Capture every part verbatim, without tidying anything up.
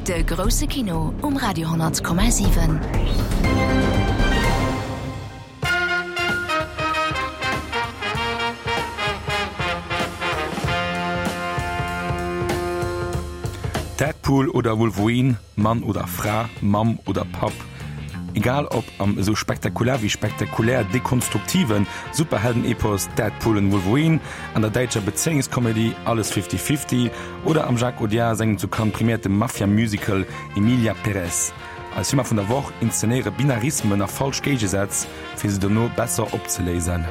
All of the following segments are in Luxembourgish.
De grousse Kino um Radio honnert Komma siwen. Deadpool oder Wolverine, Mann oder Fra, Mamm oder Papp, egal ob am esou spektakulär wéi spektakulär dekonstruktive Superhelden-Epos Deadpool and Wolverine, an der däitscher Bezéiungskomedie Alles Fifty Fifty oder am Jacques Audiard sengem zu Cannes priméierte Mafia-Musical Emilia Pérez. Eis Filmer vun der Woch inszenéiere Binarismen a falsch Géigesätz, fir se dono besser opzeléisen.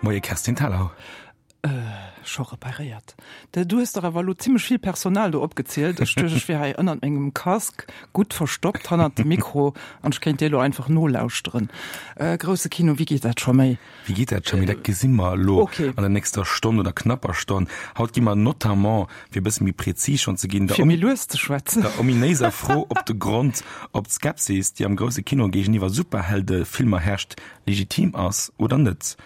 Moie Kerstin Thalau. Scho reparéiert. Du hues dach awer elo zimmlech vill Personal do opgezielt. Ech duecht, ech wier hei ënnert mengem Casque gutt verstoppt hannert dem Mikro an ech kéint dir elo einfach nolauschteren. Grousse Kino, wéi geet dat scho méi? Wéi geet dat scho méi? Dat gesi mer elo an der nächster Stonn oder knapper Stonn. Haut gi mer notamment, fir e bësse méi prezis schonn ze ginn, der, fir méi lues ze schwätzen, der ominéiser Fro op de Grond, ob d'Skepsis, déi am grousse Kino géigeniwwer Superheldefilmer herrscht, legitim ass oder net.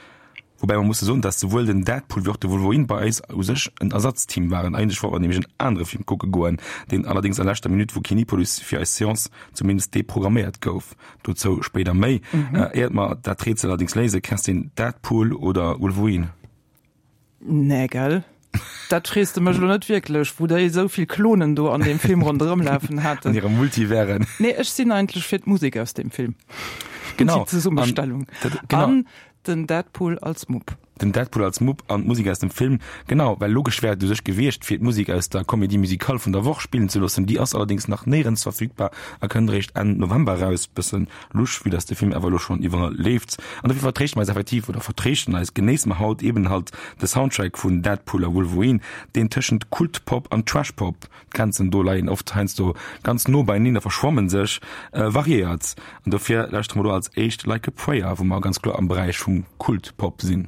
Woubäi mer musse soen, dass souwuel den Deadpool wéi och de Wolverine bei eis u sech en Ersatzteam waren. Eigentlech wollte mer nämlech en anere Film kucke goen, deen allerdéngs a leschter Minutt vu Kinepolis fir eis Seance zumindest deprogramméiert gouf. Dozou spéider méi. Éiert mer dat Rätsel allerdéngs léisen, Kerstin, Deadpool oder Wolverine? Nee, gell? Dat frees de mech elo net wierklech, wou déi esou vill Klonen do an deem Film ronderëm lafen haten. An hire Multiversen. Nee, ech sinn eigentlech fir d'Musek aus deem Film. Genau. Déi Zesummestellung. An, dat, genau. An den Deadpool als Mupp. Den Deadpool als Mupp an d'Musek aus dem Film. Genau, well logesch wär et u sech gewiescht, fir d'Musek aus der Comédie musicale vun der Woch spillen ze loossen. Déi ass allerdéngs nach néierens verfügbar a kënnt eréischt Enn November eraus. Bëssen lusch, vue dass de Film awer elo schonn iwwerall leeft. An dofir vertréischte mer eis effektiv, oder vertréischten eis, genéisse mer haut eben halt de Soundtrack vun Deadpool a Wolverine, deen tëschent Kultpop an Trashpop, d'Grenzen do leien oft heiansdo ganz no beieneen a verschwammen sech, variéiert. An dofir lauschtere mer do als éischt Like a Prayer, wou mer ganz kloer am Beräich vum Kultpop sinn.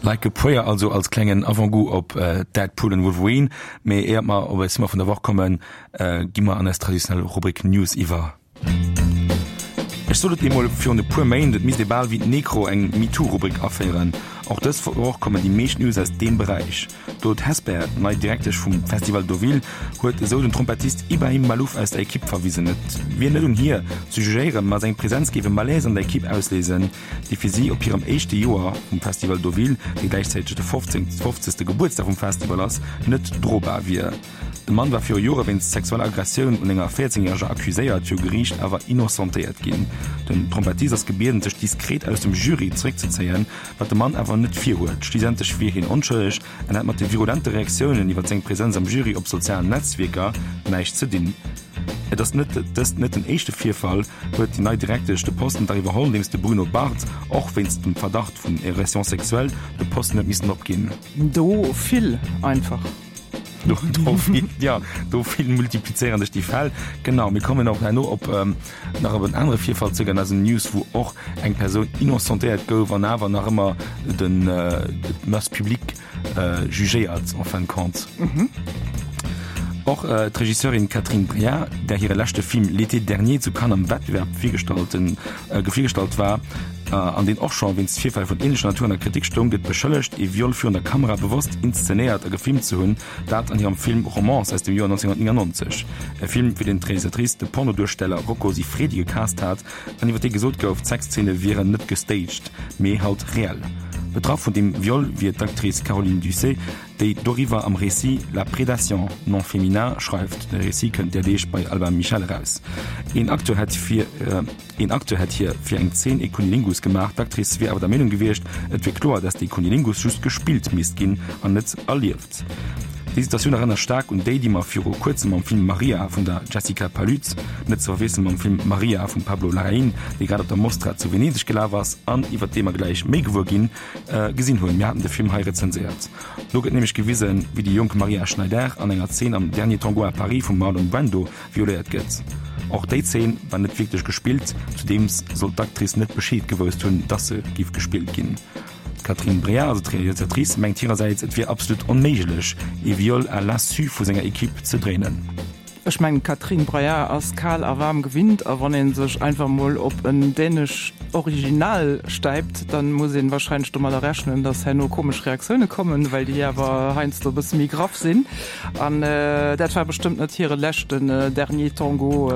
Like a Prayer also als klengen Avant-goût op Deadpool and Wolverine. Mee éiert mer op eis Thema vun der Woch kommen, gi mer an eis traditionell Rubrik News iwwer. Ech sot et eemol virun e puer Méint, et misst ee bal wéi d'Necro eng MeToo-Rubrik aféieren. Och dës Woch kommen déi meescht News aus deem Beräich. D'Aude Hesper, nei Direktesch vum Festival Deauville, huet esou den Trompettist Ibrahim Malouf aus der Ekipp verwisen. Et wier net un hir ze jugéieren, ma seng Presenz géif e Malaise an der Ekipp ausléisen, dee fir si op hirem éischte Joer vum Festival Deauville, dee gläichzäiteg de fofzegste Gebuertsdag vum Festival ass, net drobar wier. De Mann war viru Jore wéinst sexueller Aggressioun un enger véierzéngjäreger accuséiert, viru Geriicht awer innocentéiert ginn. Den Trompettist ass gebieden, sech diskret aus dem Jury zeréckzezéien, wat de Mann awer net virhuet. Schliissentlech wier hien onschëlleg an hätt mat de virulente Reaktiounen iwwer seng Presenz am Jury op sozialen Netzwierker näischt ze dinn. Et ass net dëst net den éischte Virfall, huet déi nei Direktesch de Posten dach iwwerholl, nodeems de Bruno Barth och wéinst dem Verdacht vun Agression sexuelle de Posten huet missen opginn. Do vill einfach. Do, do vill, ja, do vill multiplizéieren sech déi Fäll. Genau, mir kommen och herno op ähm, nach op en anere Virfall zréck an eisen News, wou och eng Persoun innocentéiert gouf an awer nach ëmmer den äh, d'Masse publique äh, jugéiert en fin de compte. Mhm. Och äh, d'Regisseurin Catherine Breillat, där hire leschte Film L'été dernier zu Cannes am Wettbewerb virgestallt, äh, virgestallt war, an deen och scho wéinst Virfäll vun änlecher Natur an der Kritik stoung, gëtt beschëllegt, ee Viol virun der Kamera bewosst inszenéiert a gefilmt ze hunn, dat an hirem Film Romance aus dem Joer nonzénghunnertnéngannonzeg. E Film, fir deen d'Realisatrice de Pornoduersteller Rocco Siffredi gecast hat an iwwer dee gesot gouf, d'Sexzeene wieren net gestaged, mee halt reell. Betraff vun deem Viol wier d'Actrice Caroline Ducey, déi doriwwer am Récit La prédation, nom féminin schreift. De Récit kënnt där Deeg bei Albin Michel eraus. Een Acteur hätt fir een Acteur hätt hir fir eng Zeen ee Cunnilingus gemaach, d'Actrice wier awer der Meenung gewiescht, et wier kloer, dass dee Cunnilingus just gespillt misst ginn an net erlieft. Déi Situatioun erënnert staark un déi, déi mer viru kuerzem mam Film Maria vun der Jessica Palud, net ze verwiessele mam Film Maria vum Pablo Larraín, dee grad op der Mostra zu Venedeg gelaf ass an iwwer dee mer gläich méi gewuer ginn, gesinn hunn. Mir haten de Film hei rezenséiert. Do gëtt nämlech gewisen, wéi déi jonk Maria Schneider an enger Zeen am Dernier Tango à Paris vum Marlon Brando violéiert gëtt. Och déi Zeen war net wierklech gespillt, zudeems soll d'Actrice net Bescheed gewousst hunn, dass se giff gespillt ginn. D'Catherine Breillat, also d'Realisatrice, mengt hirersäits, et wier absolut onméiglech, ee Viol à l'insu vu senger Equipe ze dréinen. Ech mengen, d'Catherine Breillat ass kal a waarm gewinnt, a wann ee sech einfach mol op en dänescht Original stäipt, dann muss een wahrscheinlech domadder rechnen, dass herno komesch Reaktioune kommen, well déi awer heiansdo e bësse méi graff sinn. An dat war bestëmmt net hire leschten Dernier Tango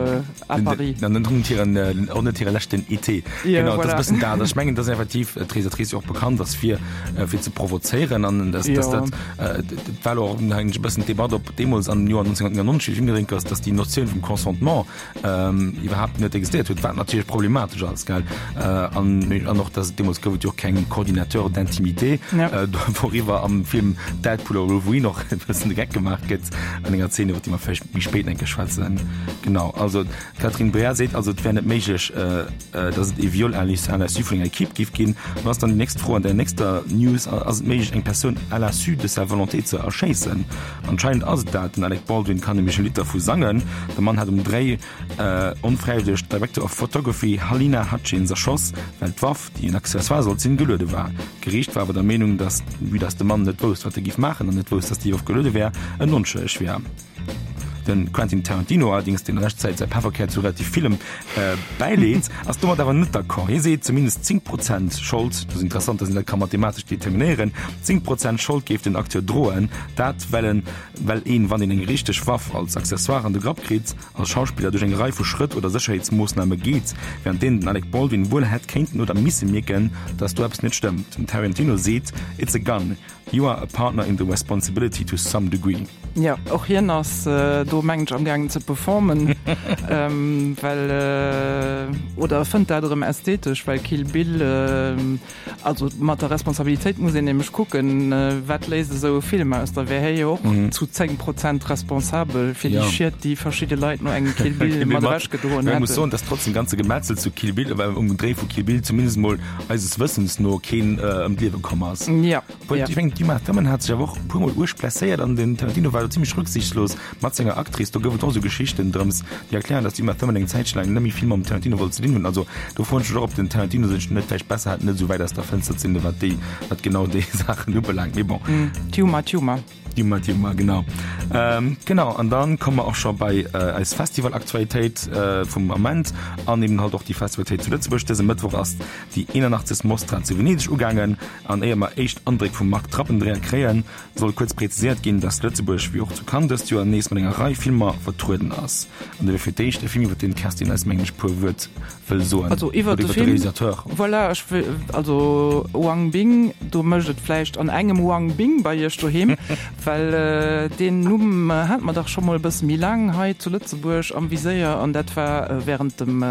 à Paris. An net hiren, och net hire leschten Été. Genau, dat ass e bëssen dat. Ech mengen, dass effektiv d'Realisatrice jo och bekannt ass fir, fir ze provozéieren an dass, dass dat, dat war elo och e bëssen d'Debatt, ob deemools am Joer nonzénhunnertnéngannonzeg, wéi de Film gedréint gouf, dass déi Notioun vum Consentement iwwerhaapt net existéiert huet, wat natierlech problematesch ass, gell. An, an och, dass deemools gouf et jo och keng Coordinateur d'intimité, wouriwwer am Film Deadpool or Wolverine och e bëssen de Geck gemaach gëtt an enger Zeen, iwwer déi mer vläicht méi spéit eng Kéier schwätzen. Genau, also d'Catherine Breillat seet also, et wär net méiglech, dass et ee Viol à l'insu vun enger Equipe géif ginn. An ass dann déi nächst Fro an der nächster News, Ass et méiglech, eng Persoun à l'insu de sa volonté ze erschéissen? Anscheinend ass et dat. Den Alec Baldwin kann nämlech e Lidd dervu sangen. De Mann hat um Dréi onfräiwëlleg d'Director of Photography Halyna Hutchins erschoss, well d'Waff, déi en Accessoire sollt sinn, geluede war. D'Geriicht war awer der Meenung, datt, vue datt de Mann net wousst, wat e giff maachen an net wousst, datt déi Waff geluede wär, en onschëlleg wär. De Quentin Tarantino allerdéngs, deen a leschter Zäit säi Pefferkär zu relativ villem bäileet, ass domat awer net d'accord. Hie seet, zumindest zéng Prozent Schold, dat ass interessant, datt een dat ka mathematesch determinéieren, zéng Prozent Schold géif den Acteur droen, dat well en, well een, wann een eng richteg Waff als Accessoire an de Grapp kritt, als Schauspiller duerch eng Rei vu Schrëtt oder Sécherheetsmoossname geet, wärend deenen den Alec Baldwin wuel hätt kéinten oder misse mierken, datt do eppes net stëmmt. Den Tarantino seet, It's a gun. You are a partner in the responsibility to some degree. Jo, och hien ass do, mengen ech, am gaangen ze performen, well, oder e fënnt dat erëm ästhetesch, well Kill Bill, also mat der Responsabilitéit muss een nämlech kucken, wat léist esou e Film aus, da wär hie jo och zu zéng Prozent responsabel fir déi Schied, déi verschidde Leit no engem Kill Bill mat ewechgedroen hätten. Ech muss soen, dass trotz dem ganze Gemetzel zu Kill Bill, um Dréi vu Kill Bill zumindest emol eises Wëssens no keen ëm d'Liewe komm ass. Jo. Obwuel, ech mengen, d'Uma Thurman hat sech awer och e puer Mol uerg blesséiert an den Tarantino war do zimmlech rücksichtslos mat senger Actrice, do gouf et och esou Geschichten drëms, déi erklären, dass d'Uma Thurman eng Zäitche laang net méi vill mam Tarantino wollt ze dinn hunn. Also do froen ech mech och, ob den Tarantino sech net vläicht besser hat, net esou wäit aus der Fënster ze sinn, wat déi, wat genau déi Saachen ubelaangt. Mee bon. D'Uma Thurman. D'Uma Thurman, genau. Ähm, genau, an dann komme mer och scho bei eis Festivalaktualitéit vum Ament an eben halt och déi Festivalitéit zu Lëtzebuerg. Dëse Mëttwoch ass déi eenanachtzegst Mostra zu Venedeg ugaangen. An éier mer éischt Andréck vum Marc Trappendreher kréien, soll kuerz präziséiert ginn, dass Lëtzebuerg, wéi och zu Cannes dëst Joer, nees mat enger Rei Filmer vertrueden ass. An dofir fir d'éischt e Film, iwwer deen d'Kerstin eis, mengen ech, puer Wuert wëll soen. Also iwwer de Film, Realisateur. Voilà, ech wëll, also Wang Bing, do mécht et vläicht an engem Wang Bing bei Iech doheem, well deen Numm hat mer dach scho mol e bësse méi laang hei zu Lëtzebuerg am Viséier, an dat war während dem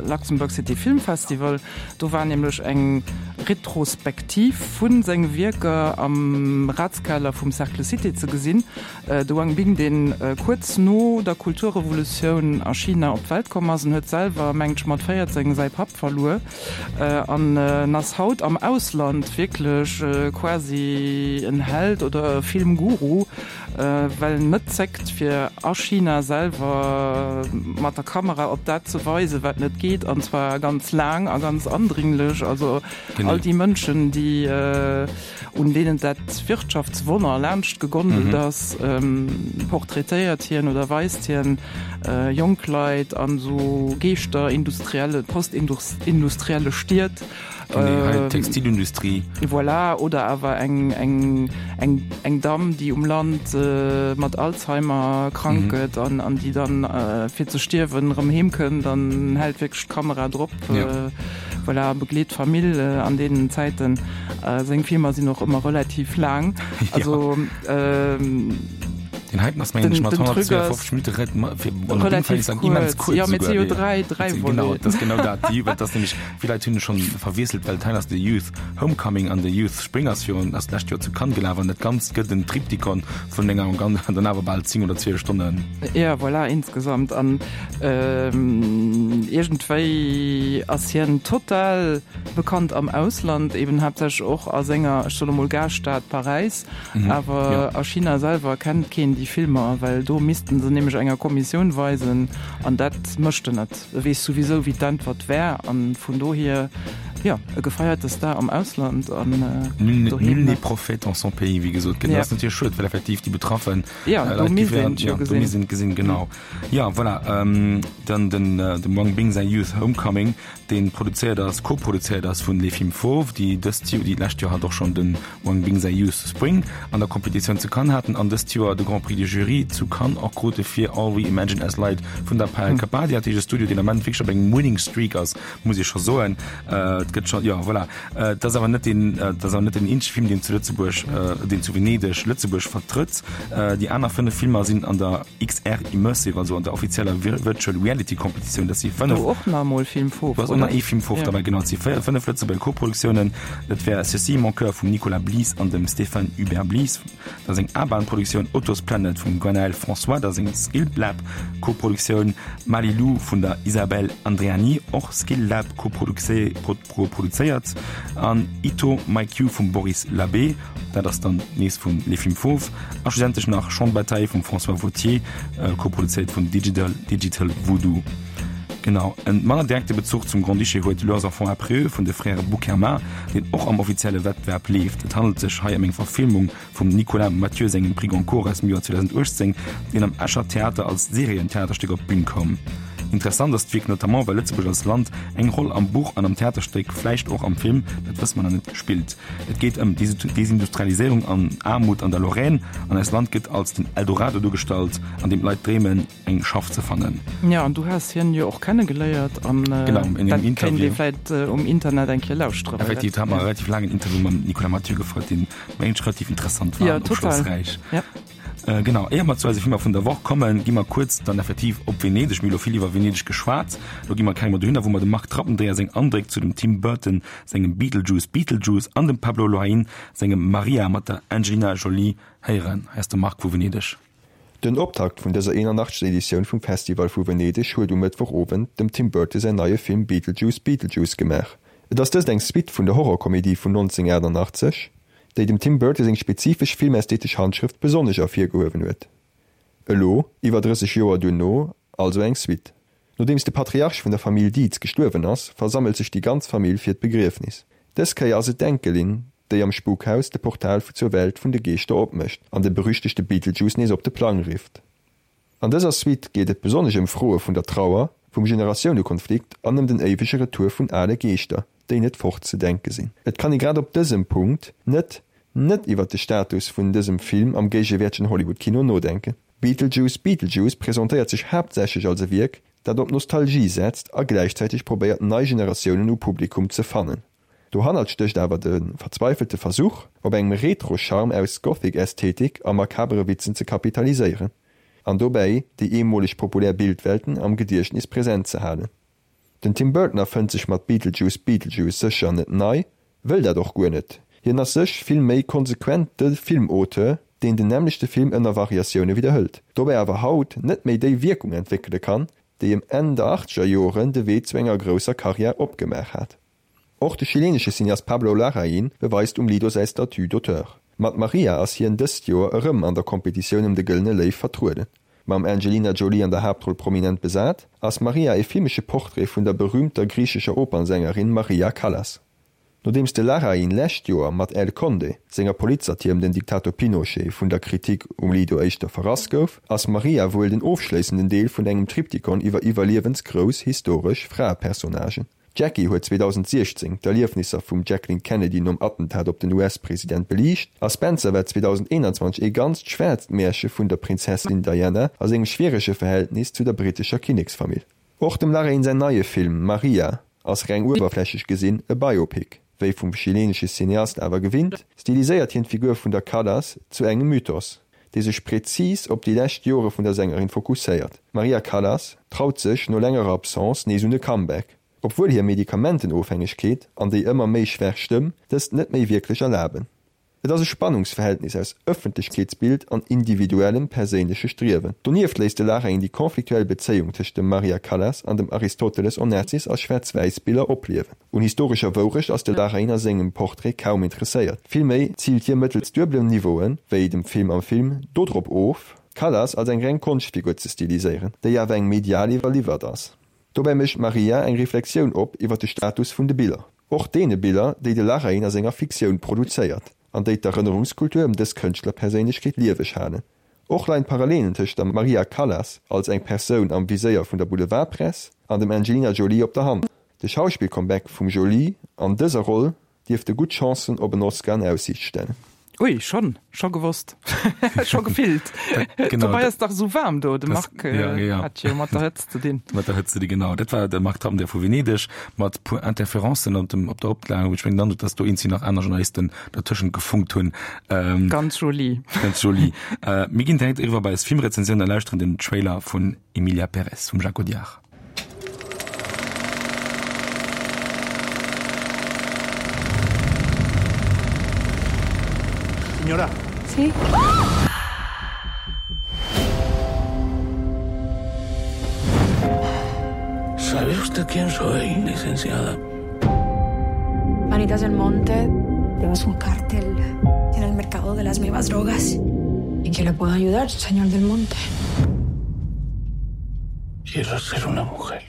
Luxembourg City Film Festival. Do war nämlech eng Retrospektiv vu senge Wierker am Ratskeller vum Cercle Cité ze gesinn. De Wang Bing, dee kuerz no der Kulturrevolutioun a China op d'Welt komm ass, en huet selwer, mengt ech, mat véierzéng säi Papp verluer an en ass haut am Ausland wierklech quasi en Held oder e Filmguru, well en net zéckt fir a China selwer mat der Kamera op dat ze weisen, wat net geet, an zwar ganz laang a ganz andringlech. Also all déi Mënschen, déi un deenen dat Wirtschaftswonner laanscht gegondelt ass, portraitéiert hien oder weist hien jonk Leit an esou geeschterindustrielle, postindustrielle Stied. Genee, Textilindustrie. Voilà, oder awer eng, eng, eng, eng Damm, déi um Land mat Alzheimer krank gëtt an, an déi dann fir ze stierwen erëm heem kënnt an hält wierklech d'Kamera drop. Ja. Voilà, begleet d'Famill an deenen Zäiten. Seng Filmer sinn och ëmmer relativ laang. Also, Den heiten ass mengen ech mat honnertzweeënfofzeg Minutte relativ kuerz. Jo, mee et si jo dräi, dräi Voleten. Genau, dat ass genau dat. Déi, dat ass nämlech, vill Leit hunn e schonn verwiesselt, well d'Hein ass de Youth Homecoming an de Youth Spring ass virun, ass d'lescht Joer zu Cannes gelaf an dat Ganzt gëtt en Triptychon vun enger gan dann awer bal zéng oder zwielef Stonnen. Jo, voilà, insgesamt. An iergendwéi ass hien total bekannt am Ausland, eben haaptsächlech och a senger, ech soen emol, Gaaschtstad Paräis. Awer a China selwer kennt keen déi Filmer, well do misste se nämlech enger Kommissioun weisen, an dat mécht en net. E weess souwisou, wéi d'Äntwert wär, a vun dohier, jo, e gefeierte Star am Ausland an doheem. Nul n'est prophète en son pays, wéi gesot gëtt. Dat ass natierlech schued, well effektiv déi betraffe Leit gi wären, jo, do misst een et gesinn, genau. Jo, voilà, dann den dem Wang Bing säi Youth Homecoming, dee produzéiert ass, koproduzéiert ass vun Les Films Fauves, déi dëst Joer, déi d'lescht Joer hat och schonn de Wang Bing säi Youth Spring an der Competitioun zu Cannes haten an dëst Joer de Grand Prix du Jury zu Cannes och krute fir All We Imagine As Light vun der Payal Kapadia, dat heescht e Studio, deen am Ament wierklech op engem Winning Streak ass, muss ee scho soen. Et gëtt scho, jo, voilà. Et ass awer net deen, et ass awer net den eenzege Film, deen zu Lëtzebuerg, deen zu Venedeg Lëtzebuerg vertrëtt. Déi aner fënnef Filmer sinn an der X R Immersive, also an der offizieller Virtual Reality Competitioun. Dat si fënnef. Do och nach emol Film Fauve, oder? Do ass och nach ee Film Fauve derbäi, genau. Et si véier, fënnef Lëtzebuerger Koproduktiounen. Dat wär Ceci est mon cœur vum Nicolas Blies an dem Stéphane Hubert Blies. Dat ass eng A-Bahn-Produktioun. Otto's Planet vum Gwenaëlle François, dat ass eng Skill Lab Koproduktioun. Malilou vun der Isabelle Andreani, och Skill Lab koproduzéiert. An Ito My Cue vum Boris Labbé, dat ass dann nees vun Les Films Fauves. A schlussendlech nach Champ de bataille vum François Vauthier, koproduzéiert vun Digital Digital Voodoo. Genau, en manner direkte Bezuch zum Grand-Duché huet Leurs enfants après eux vun de Frères Boukherma, deen och am offizielle Wettbewerb leeft. Et handelt sech hei ëm eng Verfilmung vum Nicolas Mathieu sengem Prix Goncourt aus dem Joer zweedausenduechtzéng, deen am Escher Theater als Serientheaterstéck op d'Bün koum. Interessant ass d'Wierk notamment, well Lëtzebuerg als Land eng Roll am Buch an am Theaterstéck, vläicht och am Film, dat wësse mer nach net, spillt. Et geet ëm Desindustrialiséierung an Aarmut an der Lorraine, an eist Land gëtt als den Eldorado duergestallt, an deem d'Leit dreemen, eng Schaff ze fannen. Jo, an du has hien jo och kennegeléiert an dat kéint ee vläit um Internet eng Kéier lauschteren. Effektiv, do hat mer e relativ laangen Interview mam Nicolas Mathieu gefouert, deen mengen ech relativ interessant war an opschlossräich. Jo, total. Genau, éier mer zu eise Filmer vun der Woch kommen, gi mer kuerz dann effektiv op Venedeg. Mir hu lo vill iwwer Venedeg geschwat, lo gi mer keng mer dohinner, wou mer dem Marc Trappendreher seng Andréck zu dem Tim Burton sengem Beetlejuice Beetlejuice an dem Pablo Larraín sengem Maria mat der Angelina Jolie héieren. Hei ass de Marc vu Venedeg. Den Optakt vun dëser eenanachtzegster Editioun vum Festival vu Venedeg huet um Mëttwochowend dem Tim Burton säin neie Film Beetlejuice Beetlejuice gemaach. Et ass dëst eng Suite vun der Horrorkomedie vun nonzénhunnertachtanachtzeg, déi dem Tim Burton seng spezifesch filmästhetesch Handschrëft besonnesch ervirgehuewen huet. Elo, iwwer drësseg Joer duerno, also eng Suite. Nodeems de Patriarch vun der Famill Dietz gestuerwen ass, versammelt sech déi ganz Famill fir d'Begriefnis. Dës Kéier ass et d'Enkelin, déi am Spukhaus de Portal zur Welt vun de Geeschter opmécht an de berüchtegte Beetlejuice nees op de Plang rifft. An dëser Suite geet et besonnesch ëm Froe vun der Trauer, vum Generatiounekonflikt an ëm den éiwege Retour vun ale Geeschter, déi net fort ze denke sinn. Et kann ee grad op dësem Punkt net net iwwer de Status vun dësem Film am géigewäertegen Hollywood-Kino nodenken. Beetlejuice Beetlejuice presentéiert sech haaptsächlech als e Wierk, dat op Nostalgie setzt a gläichzäiteg probéiert nei Generatiounen u Publikum ze fannen. Dohannert stécht awer de verzweifelte Versuch, op engem Retro-Charme aus Gothic-Ästhetik a makabere Witzen ze kapitaliséieren an dobäi déi eemoleg populär Bildwelten am Gediechtnis present ze halen. Den Tim Burton erfënnt sech mat Beetlejuice Beetlejuice sécher net nei, wëll dat och guer net. Hien ass sech vill méi konsequent de Filmauteur, deen den nämmlechte Film ënner Variatioune widderhëlt, dobäi awer haut net méi déi Wierkung entwéckele kann, déi em Enn der achtzeger Joren de Wee zu enger grousser Karriär opgemaach hat. Och de chilenesche Cineast Pablo Larraín beweist um Lido säi Statut d'auteur. Mat Maria ass hien dëst Joer erëm an der Kompetitioun ëm de Gëllene Léiw vertrueden. Mam Angelina Jolie an der Haaptroll prominent besat, ass Maria e filmesche Portrait vun der berüümter griichescher Opernsängerin Maria Callas. Nodeems de Larraín lescht Joer mat El Conde, senger Politsatir ëm den Diktator Pinochet, vun der Kritik um Lido éischter verrass gouf, ass Maria wuel den ofschléissenden Deel vun engem Triptychon iwwer iwwerliewensgrouss historesch Fraepersonnagen. Jackie huet zweedausentsiechzéng d'Erliefnisser vum Jacqueline Kennedy nom Attentat op den U S-President beliicht a Spencer war zweedausendeenanzwanzeg ee ganzt schwaarzt Märche vun der Prinzessin Diana a sengem schwierege Verhältnis zu der brittescher Kinneksfamill. Och dem Larraín säin neie Film Maria ass reng uewerflächlech gesinn e Biopic. Wéi vum chilenesche Cineast awer gewinnt, stiliséiert hien d'Figur vun der Callas zu engem Mythos, dee sech prezis op déi lescht Jore vun der Sängerin fokusséiert. D'Maria Callas traut sech no längerer Absence nees un e Comeback, obwuel hir Medikamentenofhängegkeet an déi ëmmer méi schwaach Stëmm dëst net méi wierklech erlaben. Et ass e Spannungsverhältnis aus Ëffentlechkeetsbild an individuellem perséinleche Striewen. Donieft léisst de Larraín déi konfliktuell Bezéiung tëscht dem Maria Callas an dem Aristoteles Onassis a Schwaarz-Wäiss-Biller opliewen. Un historescher Wourecht ass de Larraín a sengem Portrait kaum interesséiert. Villméi ziilt hie mëttels duebelen Niveauen, wéi dem Film am Film, dodrop of, d'Callas als eng reng Konschtfigur ze stiliséieren, déi awer engem medial iwwerliwwert ass. Dobäi mécht Maria eng Reflexioun op iwwer de Status vun de Biller. Och deene Biller, déi de Larraín a senger Fiktioun produzéiert an déi d'Erënnerungskultur ëm dës Kënschtlerperséinlechkeet lieweg halen. Och leien d'Parallelen tëscht der Maria Callas als eng Persoun am Viséier vun der Boulevardpress an dem Angelina Jolie op der Hand. De Schauspill-Comeback vum Jolie an dëser Roll dierfte gutt Chancen op en Oscar an Aussiicht stellen. Ui, schonn, scho gewosst, scho gefillt. Genau. Dobei ass dach esou waarm do, de Das, Marc ja, ja. hat jo mat der Hëtzt ze dinn. Mat der Hëtzt ze dinn, genau. Dat war de Marc Tamm, der vu Venedeg, mat puer Interferencen op dem, op der Oplag. Ech mengen dann, dass do eenzi nach aner Journalisten dertëschent gefunkt hunn. Ähm, Ganz joli. Ganz joli. Äh, mir ginn direkt eriwwer bei eis Filmrezensioun a lauschteren den Trailer vun Emilia Pérez vum Jacques Audiard. Señora. Sí. ¿Sabe usted quién soy, licenciada? Manitas del Monte. Es un cártel en el mercado de las nuevas drogas. ¿En qué le puedo ayudar, señor del Monte? Quiero ser una mujer.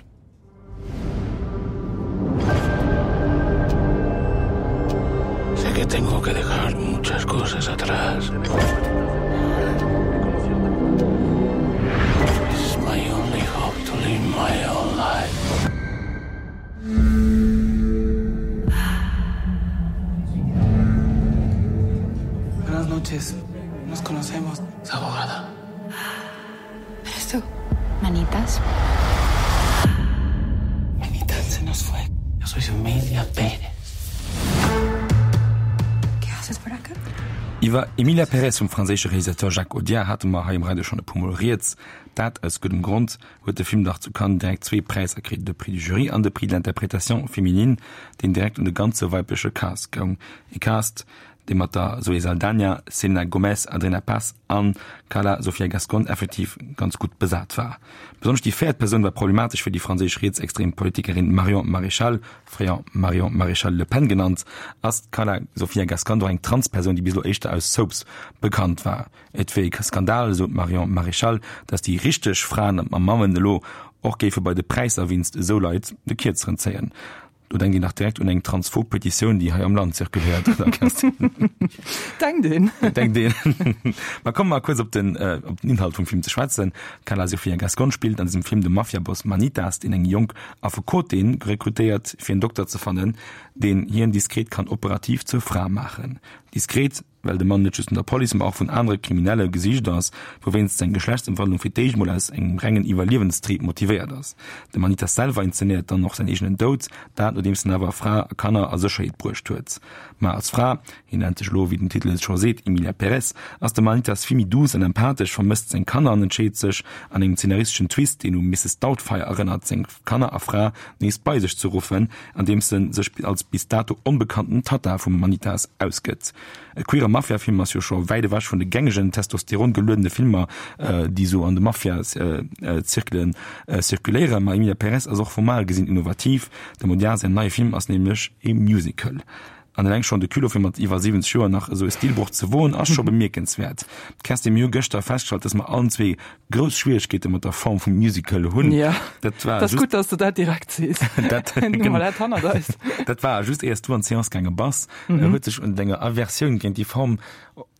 Sé que tengo que dejar muchas cosas atrás. It's my only hope to live my own life. Buenas noches. Nos conocemos. Es abogada. ¿Eres tú? Manitas. Manitas se nos fue. Yo soy Emilia Pérez. ¿Qué haces por acá? Iwwer Emilia Pérez vum franséische Realisateur Jacques Audiard hate mer hei um Radio schonn e puer Mol rieds. Dat aus guddem Grond, huet de Film dach zu Cannes direkt zwee Präisser kritt, de Prix du Jury an de Prix de l'interprétation féminine, deen direkt un de ganze weibleche Cast goung. E Cast, dee mat der Zoé Saldaña, Selena Gomez, Adriana Paz an Carla Sofia Gascón effektiv ganz gutt besat war. Besonnesch déi véiert Persoun war problematesch fir déi franséisch rietsextrem Politikerin Marion Maréchal, fréier Marion Maréchal-Le Pen genannt. Ass d'Carla Sofia Gascón doch eng Transpersoun, déi bis elo éischter aus Soaps bekannt war. Et wier e Skandal, esou d'Marion Maréchal, datt déi richteg Fraen a Mammen elo och géife bei de Präisser wéinst esou Leit de Kierzeren zéien. Do denkt een dach direkt un eng transphob Petitioun, déi hei am Land zirkuléiert, oder Kerstin? Denkt een. Denkt een. Ma komme mer kuerz op den, op den Inhalt vum Film ze schwätzen. D'Carla Sofia Gascón spillt an dësem Film de Mafiaboss Manitas, deen eng jonk Affekotin rekrutéiert, fir en Dokter ze fannen, deen hien diskret kann operativ zur Fra maachen. Diskret, well de Mann net just vun der Police, ma och vun anere Kriminelle gesicht ass, wouwéinst seng Geschlechtsëmwandlung fir d'éischt mol aus engem rengen Iwwerliewenstrieb motivéiert ass. De Manitas selwer inzenéiert dann och säin eegenen Doud, dat nodeems en awer Fra a Kanner a Sécherheet bruecht huet. Ma als Fra, hien nennt sech elo, wéi den Titel et scho seet, Emilia Pérez, ass de Manitas vill méi duuss an empathesch, vermësst seng Kanner an entscheet sech, an engem zeenaristeschen Twist, deen u Misses Doubtfire erënnert, seng Kanner a Fra nees bei sech ze ruffen, andeems en sech als bis dato onbekannten Tatta vum Manitas ausgëtt. E queere Mafia-Film ass jo scho wäit ewech vun de gängegen testosterongeluedene Filmer, déi sou an de Mafia-Zirkelen zirkuléieren. Ma Emilia Pérez ass och formal gesinn innovativ, Dem Audiard säin neie Film ass nämlech e Musical. An eleng schonn de Culot fir mat iwwer siwwenzeg Joer nach esou e Stilbroch ze woen, ass scho bemierkenswäert. D'Kerstin, mir hu gëschter festgestallt, dass mer allen zwee grouss Schwieregkeete mat der Form vum Musical hunn. Ja, dat war dat ass just, gutt, dass du dat direkt sees. Dat, Hu mer dat hannert eis. Dat war just éiers du an d'Seance gaange bass. Mhm. Huet sech un denger Aversioun géint déi Form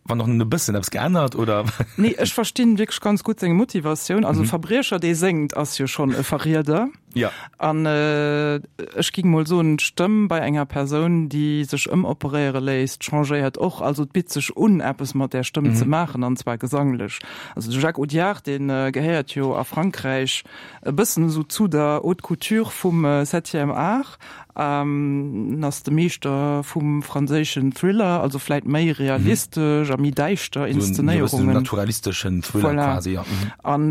wann och nëmmen e bëssen eppes geännert, oder? Nee, ech verstinn wierklech ganz gutt seng Motivatioun. Also e Verbriecher, dee séngt, ass jo schonn e Verrieder. Ja. An ech ging mol soen, d'Stëmm bei enger Persoun, déi sech ëmoperéiere léisst, changéiert och. Also et bitt sech un, eppes mat där Stëmm ze maachen, an zwar gesanglech. Also de Jacques Audiard, dee gehéiert jo a Frankräich e bëssen esou zu der Haute Couture vum Septième Art. En ass de Meeschter vum franséischen Thriller, also vläit méi realistesch a méi däischter Inszenéierungen. Esou en naturalisteschen Thriller Voilà. quasi, ja. An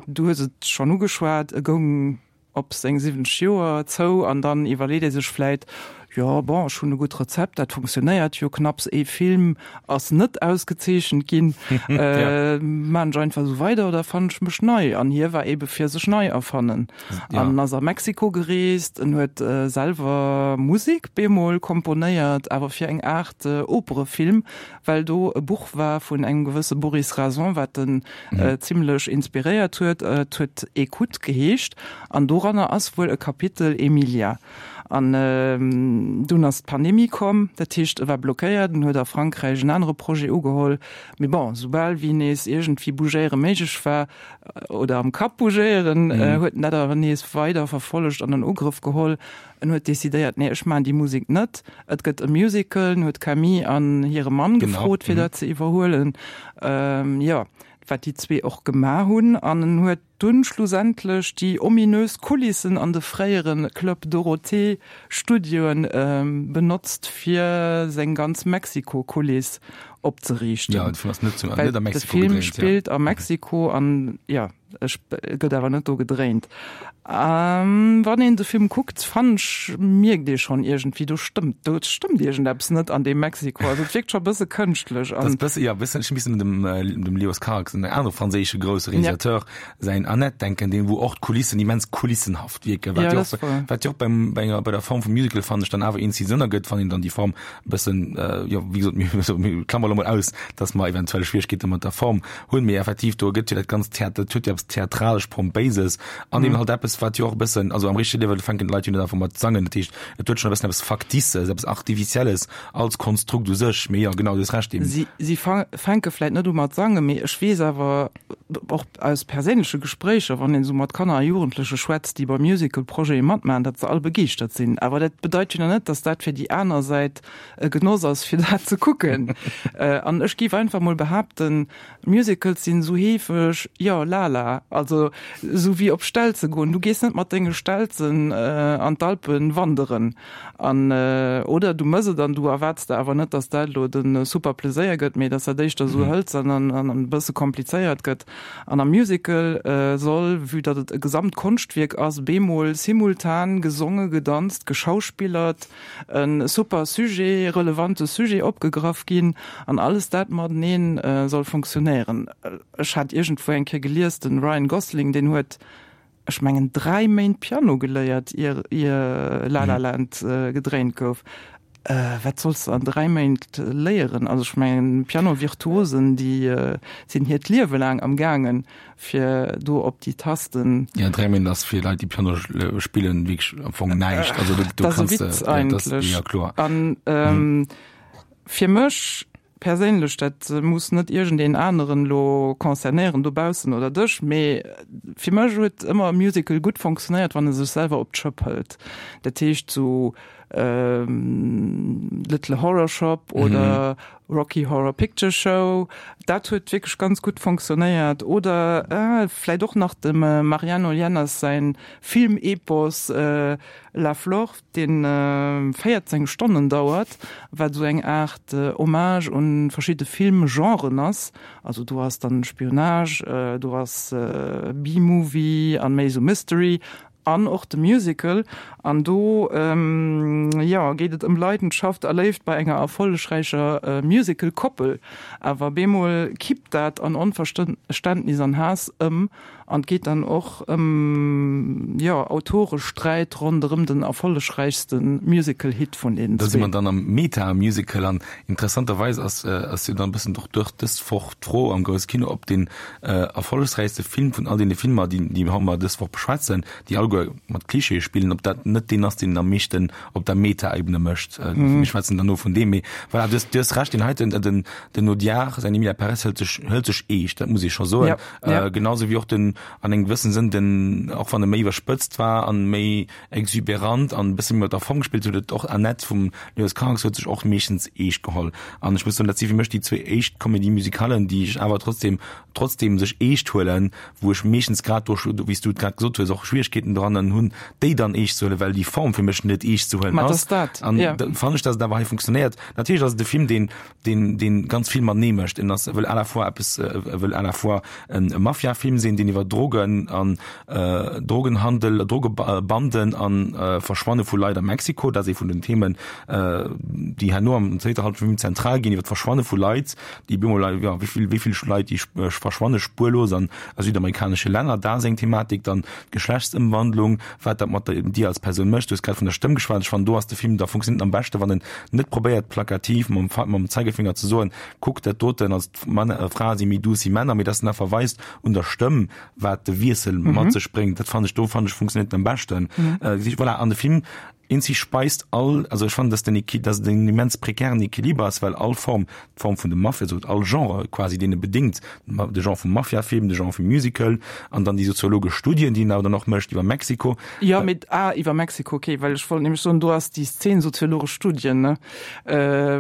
du hues et schonn ugeschwat, e goung op seng siwwenzeg Joer zou an dann iwwerleet ee sech vläit, jo bon, ech hunn e gutt Rezept, dat funktionéiert jo, knapps ee Film ass net ausgezeechent ginn, maan ech einfach esou weider oder erfannen ech mech nei? An hie war eebe fir sech nei erfannen an ass a Mexiko gereest, en huet selwer Musek bemol komponéiert, awer fir eng Aart Operefilm, well do e Buch war vun engem gewësse Boris Rason, wat en zimlech inspiréiert huet. Et huet Écoute geheescht an doranner ass wuel e Kapitel Emilia. An dunn ass d'Pandemie komm, dat heescht e war blockéiert, en huet a Frankräich en anere Projet ugeholl. Mee bon, soubal wéi nees iergendwéi bougéiere méiglech war, oder am Kapp bougéieren, huet en dat awer nees weider verfollegt an an Ugrëff geholl. En huet decidéiert, nee, ech maachen déi Musek net, et gëtt e Musical. En huet d'Camille an hire Mann gefrot, fir dat ze iwwerhuelen, jo, wat déi zwee och gemaach hunn. An en huet dunn schlussendlech déi ominös Kulissen an de fréiere Club Dorothée Studioen benotzt, fir seng ganz Mexiko-Kuliss opzeriichten. Jo, de Film ass net zu, Well net a de Mexiko Film gedréint, ja. spillt a Mexiko an jo, e gëtt awer net do gedréint. Wann een de Film kuckt, fannen ech, mierkt ee schonn iergendwéi, do stëmmt, do stëmmt iergendeppes net an deem Mexiko. Also et wierkt scho e bësse kënschtlech Dat an. ass bësse, jo, bëssen, ech misst un dem, dem Leos Carax, en anere franséische grousse Ja. Realisateur, säin Annette denken, deen, wou och d'Kulissen immens kulissenhaft wierken, wat Ja, jo dat och, ass wahr. wat jo och beim, bei enger, bei der Form vum Musical, fannen ech, dann awer een Sënn ergëtt, wann een dann déi Form e bëssen, jo, wéi gesot, mir, mir klammere lo mol aus, dass mer eventuell Schwieregkeete mat der Form hunn, mee effektiv, do ergëtt jo dat ganzt Theater, dat huet jo eppes Theatralesch-Pompéises an eben halt eppes, wat jo och e bëssen, also am richtege Liewe fänken d'Leit jo net einfach mat sangen, dat heescht, et huet schonn e bëssen eppes Factices, eppes Artificielles als Konstrukt u sech, mee jo, genau, du hues Recht eben. Si, si fänke vläit net u mat sangen, mee ech weess awer och aus perséinleche Gespréicher, wann een esou mat Kanner a Jugendleche schwätzt, déi bei Musical-Projete matmaachen, datt se all begeeschtert sinn. Awer dat bedeit jo nach net, datt dat fir déi aner Säit e Genoss ass, fir dat ze kucken. An ech géif einfach mol behaapten, Musicals sinn esou heefeg, jo, lala, also esou wéi op Stelze goen. Du gees net mat denge Stelzen an d'Alpen wanderen an, oder du mëss et an du erwaards der awer net, datt dat elo de super Pleséier gëtt, mee datt dat éischter esou hëlzern an an e bësse komplizéiert gëtt. An am Musical soll, vue datt et e Gesamtkonschtwierk ass, bemol simultan gesonge, gedanzt, geschauspillert, e super Sujet, relevante Sujet opgegraff ginn an alles dat mateneen soll funktionéieren. Ech hat iergendwou eng Kéier gelies, de Ryan Gosling, deen huet, ech mengen, dräi Méint Piano geléiert, ier ier La La Land gedréint gouf. Wat solls de an dräi Méint léieren? Also ech mengen, Piano-Virtuosen, déi sinn hiert Liewe laang am gaangen, fir do op déi Tasten. Ja, dräi Méint ass fir Leit, déi Piano spillen, wierklech am Fong näischt. Also do Dat ass e kanns de, Witz ja, dat ass, eigentlech. ja kloer. An fir mech perséinlech, dat muss net iergendeen aneren elo concernéieren dobaussen oder dech, mee fir mech huet ëmmer e Musical gutt fonctionnéiert, wann e sech selwer op d'Schëpp hëlt. Dat heescht sou Little Horror Shop oder Rocky Horror Picture Show, dat huet wierklech ganz gutt fonctionnéiert. Oder vläit och nach dem Mariano Llenas säin Film-Epos La Flor, dee véierzéng Stonnen dauert, wat esou eng Aart Hommage un verschidde Filmgenren ass. Also do ass dann Spionage, do ass B-Movie an méi esou Mystery an och de Musical. An do, jo, geet et ëm Leidenschaft a Léift bei enger erfollegräicher Musical-Koppel. Awer bemol kippt dat an Onverständnis an Haass ëm. An et geet dann och ëm, jo, Autoresträit ronderëm den erfollegräichste Musical-Hit vun deenen Da si zwee. mer dann am Meta-Musical an interessanterweis ass ass jo dann e bëssen och duerch dës Woch d'Fro am grousse Kino, ob deen erfollegsräichste Film vun all deene Filmer, déi déi mer dës Woch beschwätzen, déi alleguer mat Klischeeë spillen, ob dat net deen ass, deen am meeschten op der Meta-Ebene mécht. Mir schwätzen dann no vun deem, mee voilà, du hues du hues Recht, deen heiten, den den Audiard, säin Emilia Pérez hëlt sech hëlt sech eescht, dat muss ee scho soen. Ja, ja. Genauso wéi och den an engem gewëssen Sënn den, och wann e méi iwwerspëtzt war an méi exuberant an e bësse méi mat der Form gespillt huet, huet och Annette vum Leos Carax huet sech och meeschtens eescht geholl. An ech muss soen, dat si fir mech déi zwee éischt Comédie-musicalen, déi ech awer trotzdem, trotzdem sech eescht huelen, wou ech meeschtens grad do, wéi s du et grad gesot hues, och Schwieregkeeten dran hunn, déi dann eescht ze huelen, well déi Form fir mech net eescht ze huelen Ma et ass. ass dat, An ja. da fannen ech, dass et awer hei funktionéiert. Natierlech ass et e Film, deen, deen, deen ganz vill matenee mécht. En ass, e wëll à la fois eppes, e wëll à la fois en Mafia-Film sinn, deen iwwer Drogen an Drogenhandel, Drogebanden an Verschwanne vu Leit a Mexiko, dat ass ee vun den Themen, déi herno am zweeter Hallschent vum Film zentral ginn, iwwer d'Verschwanne vu Leit, déi bemol, jo, wéi vill, wéi vill Leit, déi verschwanne spuerlos an a südamerikanesche Länner, dat ass eng Thematik. Dann d'Geschlechtsëmwandlung, wat dat mat dir als Persoun mécht. Du hues grad vun der Stëmm geschwat. Ech fannen, do ass de Film, da funktioniert en am beschte, wann en net probéiert, plakativ mam, mam Zeigefinger ze soen, kuck, dat doten ass, Frae si méi duuss wéi Männer, mee dass en einfach weist un der Stëmm, wat de Wiessel mat sech bréngt. Dat fannen ech, do fannen ech, funktioniert en am beschten. Voilà, an de Film eenzeg speist all, also ech fannen, dass den Equi-, dass et en immens prekären Equiliber ass, well all Form, d'Form vun dem Mafia, also all Genre quasi, deen e bedingt, de Genre vum Mafia-Film, de Genre vum Musical an dann déi soziologesch Studien, déi en awer dann och mécht iwwer Mexiko. Jo, mee, ah, iwwer Mexiko, okay, well ech wollt nämlech soen, do ass déi Szen soziologesch Studien, ne,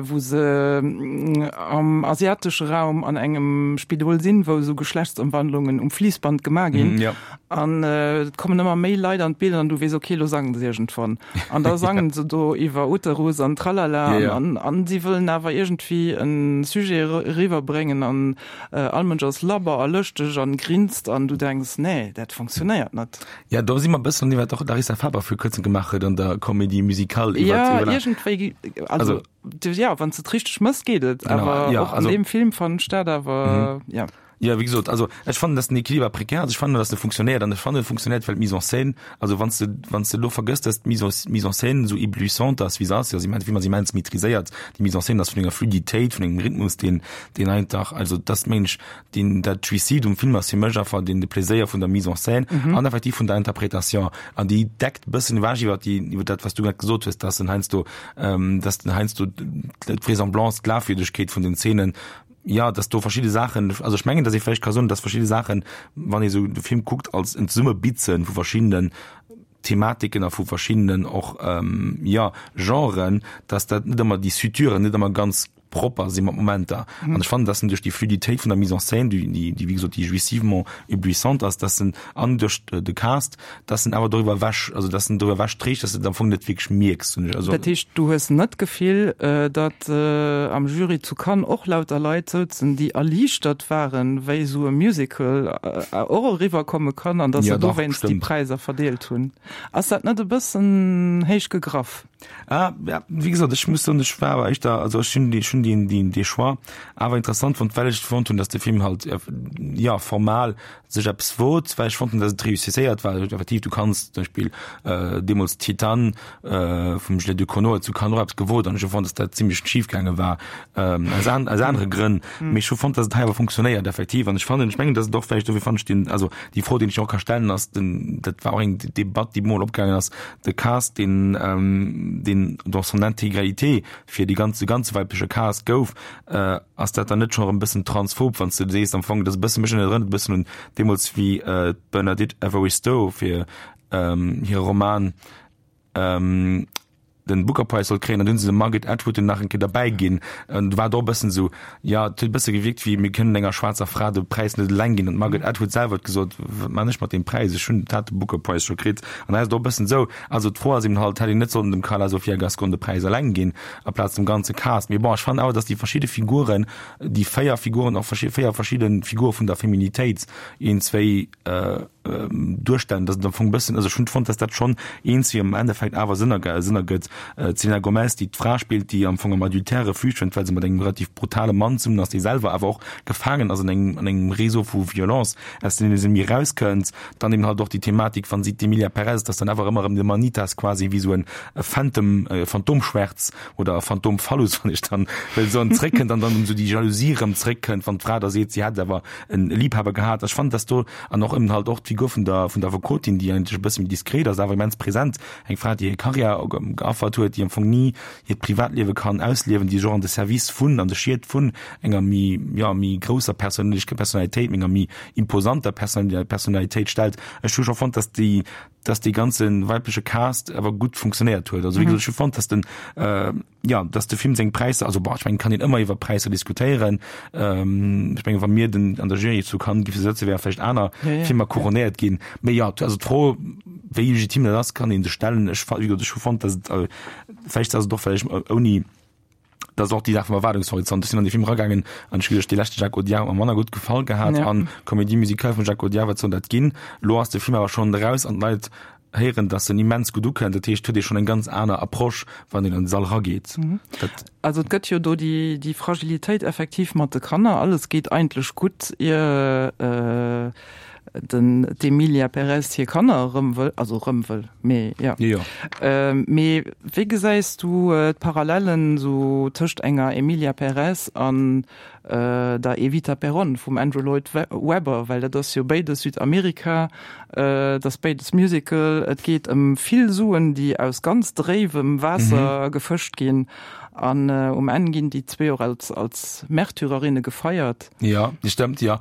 wou se am asiatesche Raum an engem Spidol sinn, wou esou Geschlechtsëmwandlungen um Fliissband gemaach ginn. Ja. An et kommen ëmmer méi Leit an d'Bild an du weess, okay, lo sangen se iergendwann. An da sangen se do iwwer Uterus an Tralala Ja, ja. an, an si wëllen awer iergendwéi e Sujet eriwwerbréngen an all Mënsch ass labber a lëschteg an grinst an du denks, nee, dat funktionéiert net. Ja, do si mer e bëssen an deem, wat och d'Larissa Faber vir kuerzem gemaach huet an der Comédie musicale iwwer, Ja, iwwer iergendwéi, also, Also, ja, wann s de et richteg mëss, geet et. Genau, Awer ja, och an also, deem Film fannen ech dat awer, ja. Ja, wéi gesot, also ech fannen, dass den Equiliber prekär ass. Ech fannen, dass e funktionéiert an ech fannen, e funktionéiert, well d'Mise en scène, also wann s de, wann s de elo vergëss, dass d'Mise en, Mise en scène esou éblouissante ass, wéi se ass, jo, si ass immens maîtriséiert, déi Mise en scène ass vun enger Fluiditéit, vun engem Rhythmus, deen, deen einfach, also dass mengen ech, deen, dat Jouissive um Film ass fir mech einfach deen, de Pléséier vun der Mise en scène an effektiv vun der Interpretation an déi deckt bëssen ewech iwwer déi, iwwer dat, wat s du grad gesot hues, dass en heiansdo, dass den heiansdo d'Vraisemblance, d'Glafwierdegkeet vun den Szenen, ja, dass do verschidde Saachen, also ech mengen, dass ee vläicht ka soen, dass verschidde Saachen, wann ee sou de Film kuckt, als en Zesummebitze vu verschiddenen Thematiken a vu verschiddenen och, ähm, ja, Genren, dass dat net ëmmer déi Suturen net ëmmer ganz propper si mat Momenter. An ech fannen, dass en duerch déi Fluiditéit vun der Mise en scène, déi, déi, wéi gesot, déi jouissivement éblouissante ass, dass en, an duerch de Cast, dass en awer doriwwer ewech, also dass en doriwwer ewech trägt, dass de et am Fong net wierklech mierks, hunn ech. Also. Dat heescht, du hues net d'Gefill, datt am Jury zu Cannes och lauter Leit souzen, déi erliichtert waren, wéi esou e Musical och eriwwer komme kann an datt se dowéinst déi Präisser verdeelt hunn? Ass dat net e bëssen héich gegraff? Ah, ja, wéi gesot, ech muss soen, ech war awer éischter, also ech hunn déi, ech hunn déi, déi, dee Choix awer interessant fonnt, well ech fonnt hunn, datt de Film halt, jo, formal sech eppes wot, well ech fonnt hunn, datt et réussisséiert war. Effektiv, du kanns zum Beispill deemools Titane vum Juliette Ducournau huet zu Cannes och eppes gewot an ech hu fonnt, datt dat zimlech schif gaange war, aus an, aus anere Grënn. Mee ech hu fonnt, datt et hei awer funktionéiert effektiv an ech fannen, ech mengen, datt et och vläicht, dofir fannen ech deen, also déi Fro, déi ech och ka stellen, ass den, dat war och eng Debatt, déi mol opgaangen ass, de Cast, deen, deen dans son intégralité fir déi ganz, de ganze weibleche Cast gouf, ass dat dann net scho erëm e bëssen transphob, wann s de sees am Fong, dat ass e bësse, mech erënnert e bëssen un deemools wéi d'Bernadette Evaristo fir hire Roman den Booker Prize sollt kréien, an dunn se de Margaret Atwood dunn nach eng Kéier derbäi ginn. An du war et och e bëssen esou, jo, et huet e bësse gewierkt wéi, mir kënnen enger schwaarzer Fra de Präis net eleng ginn. An d'Margaret Atwood selwer huet gesot, wat man ech mat deem Präis, ech hunn, hat de Booker Prize scho kritt. An da ass et och e bëssen esou, also d'Fro ass eben halt, hätt een net sollen dem Karla Sofia Gascon de Präis eleng ginn, aplaz dem ganze Cast. Mee bon, ech fannen awer, datt déi verschidde Figuren, déi véier Figuren, och véier verschidde Figure vun der Feminitéit, een, zwéi, duerstellen, dass et am Fong e bëssen, also ech hunn fonnt, dass dat schonn eens wéi am Endeffekt awer Sënn ergëtt, Sënn ergëtt. D'Selena Gomez, déi d'Fra spillt, déi am Fong am Adultère Refuge fënnt, well se mat engem relativ brutale Mann zesummen ass, dee selwer awer och gefaangen ass an engem, an engem Réseau vu Violence, aus deem se ni erauskënnt. Dann eben halt och déi Thematik, wann si d'Emilia Perez, dass dann awer ëmmer erëm de Manitas quasi wéi esou en Phantom, Phantomschwärz oder Phantomphallus, wann ech dann wëll soen, zréckkënnt an dann esou déi Jalousie erëm zréckkënnt, wann d'Fra da seet, si hätt awer en Liebhaber gehat. Ech fannen, dass do an och eben halt och d'Figur vun der vun der Affekotin, déi eigentlech e bësse méi diskret ass, awer immens present, eng Fra, déi hir Karriär geaffert huet, déi am Fong ni hiert Privatliewe kann ausliewen, déi sech och an de Service vun, an de Schiet vun enger méi, jo, méi grousser Perséinlech Personalitéit, enger méi imposanter Personalitéit stellt. Ech hu scho fonnt, dass déi, dass dee ganze weibleche Cast awer gutt funktionéiert huet. Also wéi gesot, ech hu fonnt, dass den, jo, dass de Film seng Präisser, also bon, ech mengen, et kann een ëmmer iwwer Präisser diskutéieren. Ech mengen, wa mir den an der Jury zu Cannes géife sëtzen, wäre vläicht aner Filmer couronnéiert ginn. Mee jo, also d'Fro, wéi legitim dat ass, kann ee sech stellen. Ech, wéi gesot, ech hu fonnt, dass et, vläicht ass et och, well ech ouni, dat ass och déi Saach vum Erwaardungshorizont. Ech sinn an dee Film eragaangen an ech hu geduecht, dee leschte Jacques Audiard huet mer manner gutt gefall gehat an Comédie musicale vum Jacques Audiard, wat soll dat ginn? Elo ass de Film awer schonn eraus an d'Leit héieren, dass en immens gutt ukënnt. Dat heescht, huet ee schonn eng ganz aner Approche, wann een an de Sall erageet. Dat. Also et gëtt jo do déi, déi Fragilitéit effektiv mat de Kanner. Alles geet eigentlech gutt, ier den d'Emilia Perez hir Kanner erëm wëll, also erëm wëll, mee jo. Jo. Mee wéi gesäis du d'Parallellen esou tëscht enger Emilia Perez an der Evita Peron vum Andrew Lloyd Webber? Well dat ass jo béides Südamerika, et ass béides Musical, et geet ëm vill Suen, déi aus ganz dréiwem Waasser gefëscht ginn an um Enn ginn déi zwee och als als Märtyrerinne gefeiert. Jo, dat stëmmt, jo.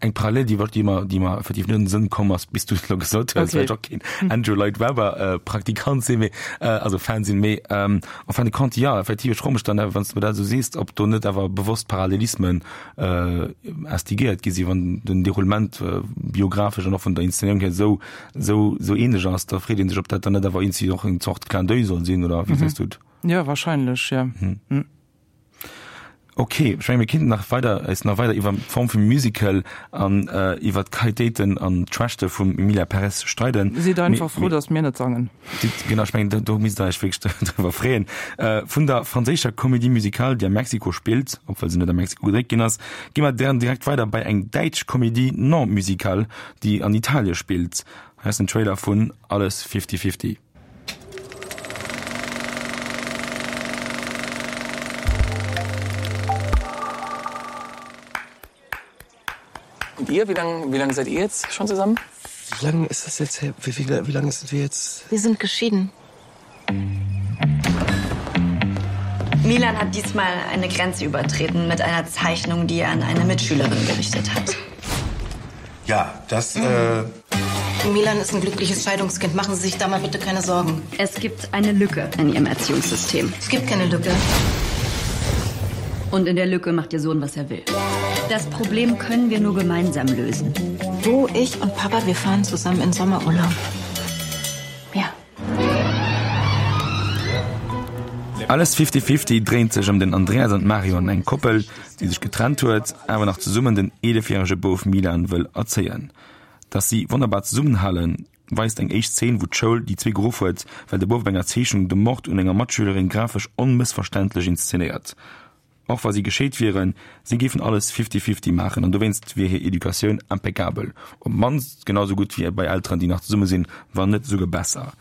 Eng Parallel, déi déi mer déi mer effektiv net an de Sënn komm ass, bis du et elo gesot hues, well ech och keen Andrew Lloyd Webber Praktikant sinn, mee also Fan sinn, mee en fin de compte, jo, effektiv, ech froe mech dann awer, wann s de mer dat esou sees, ob do net awer bewosst Parallelismen instigéiert gi sinn, wann den Déroulement biographesch an och vun der Inszenéierung hier esou esou esou ähnlech ass, da freet ee sech, ob dat dann net awer iergendwéi och eng Zort Clin d'oeil soll sinn, oder wéi gesäis du et? Jo, wahrscheinlech, jo. Ok, ech menge mir kinnten nach weider eis nach weider iwwer d'Form vum Musical an iwwer d'Qualitéiten an d'Schwächte vum Emilia Perez streiden. Sidd einfach frou, datt mir net sangen. Genau, ech mengen do misst der iech wierklech driwwer freeën. Vun der franséischer Comédie musicale, déi a Mexiko spillt, obwuel se net a Mexiko gedréit ginn ass, gi mer dann direkt weider bei eng däitsch Comédie non musicale, déi an Italie spillt. Hei ass den Trailer vun Alles Fifty Fifty. Und ihr, wie lange, wie lange seid ihr jetzt schon zusammen? Wie lange ist das jetzt her? Wie, wie, wie lange sind wir jetzt? Wir sind geschieden. Milan hat diesmal eine Grenze übertreten mit einer Zeichnung, die er an eine Mitschülerin gerichtet hat. Ja, das äh Milan ist ein glückliches Scheidungskind. Machen Sie sich da mal bitte keine Sorgen. Es gibt eine Lücke in Ihrem Erziehungssystem. Es gibt keine Lücke. Und in der Lücke macht ihr Sohn, was er will. Das Problem können wir nur gemeinsam lösen. Du, ich und Papa, wir fahren zusammen in Sommerurlaub. Ja. Alles Fifty Fifty dréint sech ëm den Andreas an d'Marion, eng Koppel, déi sech getrennt huet, awer nach zesummen den eelefjärege Bouf Milan wëll erzéien. Dass si wonnerbar zesummenhalen, weist eng éischt Zeen, wou d'Schoul déi zwee geruff huet, well de Bouf op enger Zeechnung de Mord un enger Matschülerin grafesch onmëssverständlech inszenéiert. Och wa si gescheet wieren, si géifen alles fifty-fifty maachen an dowéinst wier hir Educatioun impeccabel, op d'mannst genau sou gutt wéi bei Elteren, déi nach zesumme sinn, wann net esouguer besser.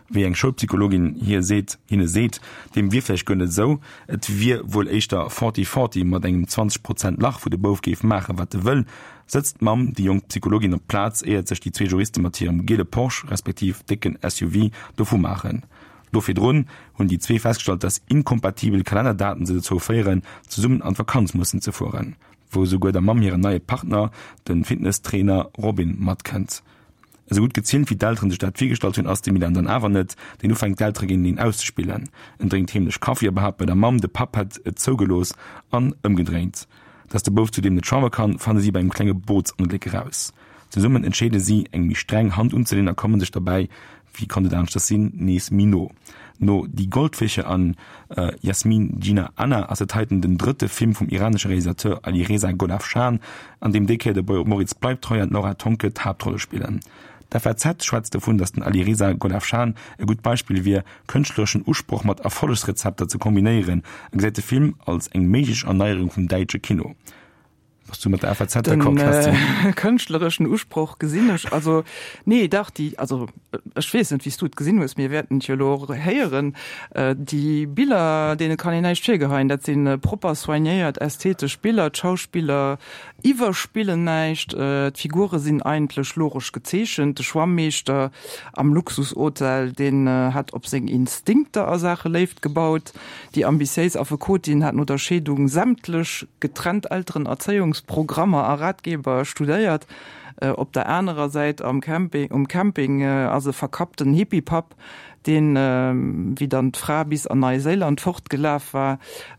Wéi eng Schoulpsychologin hir seet, hinne seet, deem wier vläicht guer net esou, et wier wuel éischter forty-forty mat engem zwanzeg Prozent Lach, wou de Bouf géif maachen, wat e wëll, sëtzt d'Mamm déi jonk Psychologin op d'Plaz, éiert sech déi zwee Juriste mat hirem giele Porsche respektiv décken S U V dovu maachen. Do virdrun hunn déi zwee festgestallt, dass inkompatibel Kalennerdaten se dozou féieren, zesummen an d'Vakanz mussen ze fueren, wou esouguer der Mamm hiren neie Partner, de Fitnesstrainer Robin, matkënnt. Esou gutt gezielt wéi d'Elteren sech dat virgestallt hunn, ass de Milan dann awer net, deen ufänkt d'Eltere géinteneen auszespillen. En drénkt heemlech Kaffi a behaapt bei der Mamm, de Papp hätt et zougelooss an ëmgedréint. Dass de Bouf zudeem net schwamme kann, fanne si bei engem klenge Bootsongléck eraus. Zesummen entscheede si, eng méi streng Hand unzeleen a komme sech derbäi, wéi konnt et aneschters sinn, nees méi no. No Die Goldfische an Jasmin Gina Anna ass et heiten den drëtte Film vum iranesche Realisateur Alireza Golafshan, an deem déi Kéier de Moritz Bleibtreu an d'Laura Tonke d'Haaptrolle spillen. D'F A Z schwätzt dovun, datt den Alireza Golafshan e gutt Beispill wier, kënschtlereschen Usproch mat Erfollegsrezepter ze kombinéieren a gesäit de Film als eng méiglech Erneierung vum däitsche Kino. Bass du mat der F A Z d'accord, Den, Kerstin? äh, kënschtlereschen Usproch gesinn ech. Also, nee, dach, déi, also, ech weess net, wéi s du et gesinn hues, mir wäerten et jo elo och héieren. Äh, déi Biller, deene kann een näischt virgeheien. Dat sinn propper soignéiert ästhetesch Biller. D'Schauspiller iwwerspillen näischt. Äh, d'Figure sinn eigentlech logesch gezeechent. De Schwammeeschter am Luxushotel, deen, äh, hat op seng Instinkter a Saache Léift gebaut. Déi ambitiéis Affekotin hat no der Scheedung sämtlech getrennt Elterenerzéiungsprogrammer a Ratgeber studéiert. Äh, op der anerer Säit am Camping, um Camping, äh, ass e verkappten Hippie-Papp, deen, äh, wéi dann d'Fra bis an Neuseeland fortgelaf war,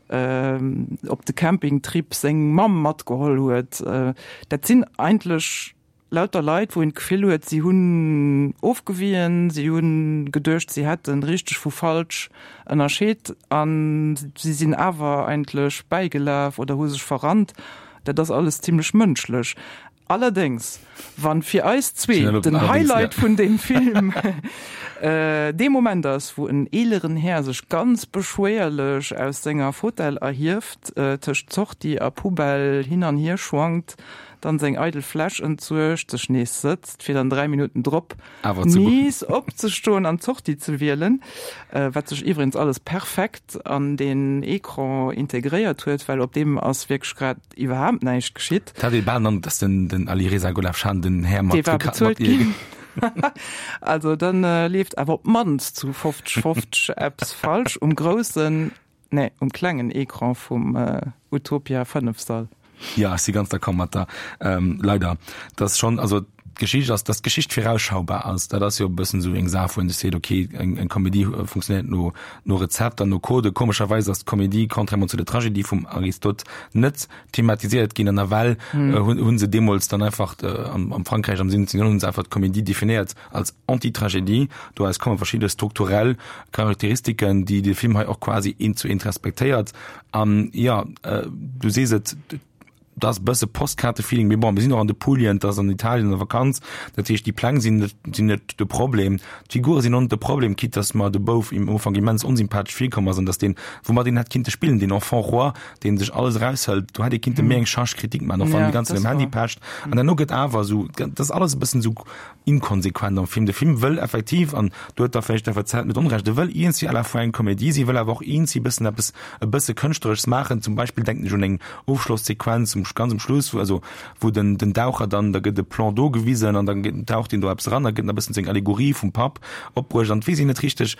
äh, op de Campingtrip seng Mamm matgeholl huet. Äh, dat sinn eigentlech lauter Leit, wou een d'Gefill huet, si hunn ofgewien, si hunn geduecht, si hätten richteg vu falsch ënnerscheet an si sinn awer eigentlech bäigelaf oder hu sech verrannt. Dat ass alles zimmlech mënschlech. Allerdéngs, wann fir eis zwee Schnell op den allerdings, Highlight ja. vun dem Film, äh, dee Moment ass, wou en eeleren Här sech ganz beschwéierlech aus senger Fotell erhieft, äh, tëscht Sortie a Poubelle hin an hier schwankt, dann seng eidel Fläsch entsuergt, sech nees sëtzt, fir dann dräi Minuten drop Awer zu gucken. nees opzestoen an d'Sortie ze wielen, äh, wat sech iwwregens alles perfekt an den Ecran integréiert huet, well op deem ass wierklech grad iwwerhaapt näischt geschitt. Dat hat ee bal dann, dass den, den Alireza Golafshan den Här mat Dee war geka-, mat bezuelt ihr ginn. Also dann, äh, leeft awer op d'mannst zu fofzeg fofzeg eppes falsch um groussen, nee, um klengen Ecran vum, äh, Utopia fënnef Sall. Ja, ech si ganz d'accord mat der. Ähm, leider. Das schon, also d'Geschicht ass, dass d'Geschicht vorausschaubar ass. Dat ass jo e bëssen esou eng Saach, wou een sech seet, okay, eng, eng Komedie, äh, funktionéiert no, no Rezepter, no Code. Komescherweis ass d'Komedie, contrairement zu der Tragedie vum Aristote, net thematiséiert ginn. An nawell, Hm. äh, hunn, hunn se deemools dann einfach, äh, am, am Frankräich am siwwenzéngten Joerhonnert hunn se einfach d'Komedie definéiert als Antitragedie. Doraus komme verschidde strukturell Charakteristiken, déi de Film hei och quasi eent zu eent respektéiert. An, ja, äh, du sees et, das e bësse Postkaarte-Feeling, mee bon, mir sinn och an de Pulien, das an Italien an der Vakanz, dat heescht, déi Pläng sinn net, sinn net de Problem. D'Figure sinn och net de Problem, quitte dass mer de Bouf im Ufank immens onsympathesch virkomm ass an dass deen, woumat een hätt kinnte spillen, den Enfant roi, deen sech alles eraushëlt, do hätt ee kinnte méi eng Charge critique maachen, och wann Ja, déi ganze das Zäit um Handy war. pecht. An herno gëtt awer esou, das ass alles e bëssen esou inkonsequent am Film. De Film wëll effektiv, an do huet da vläicht d'F A Z net Onrecht, e wëll iergendwéi à la fois eng Komedie sinn, wëll awer och iergendwéi bëssen eppes, e bësse Kënschtleresches maachen. Zum Beispill denken ech un eng Ofschlosssequenz um, ganz um Schluss, wo, also, wo den, den Daucher dann, da gëtt de Plan d'eau gewisen an dann gëtt, taucht ihn do eppes ran, da gëtt e bëssen seng Allegorie vum Papp opbruecht an weess ich net richteg,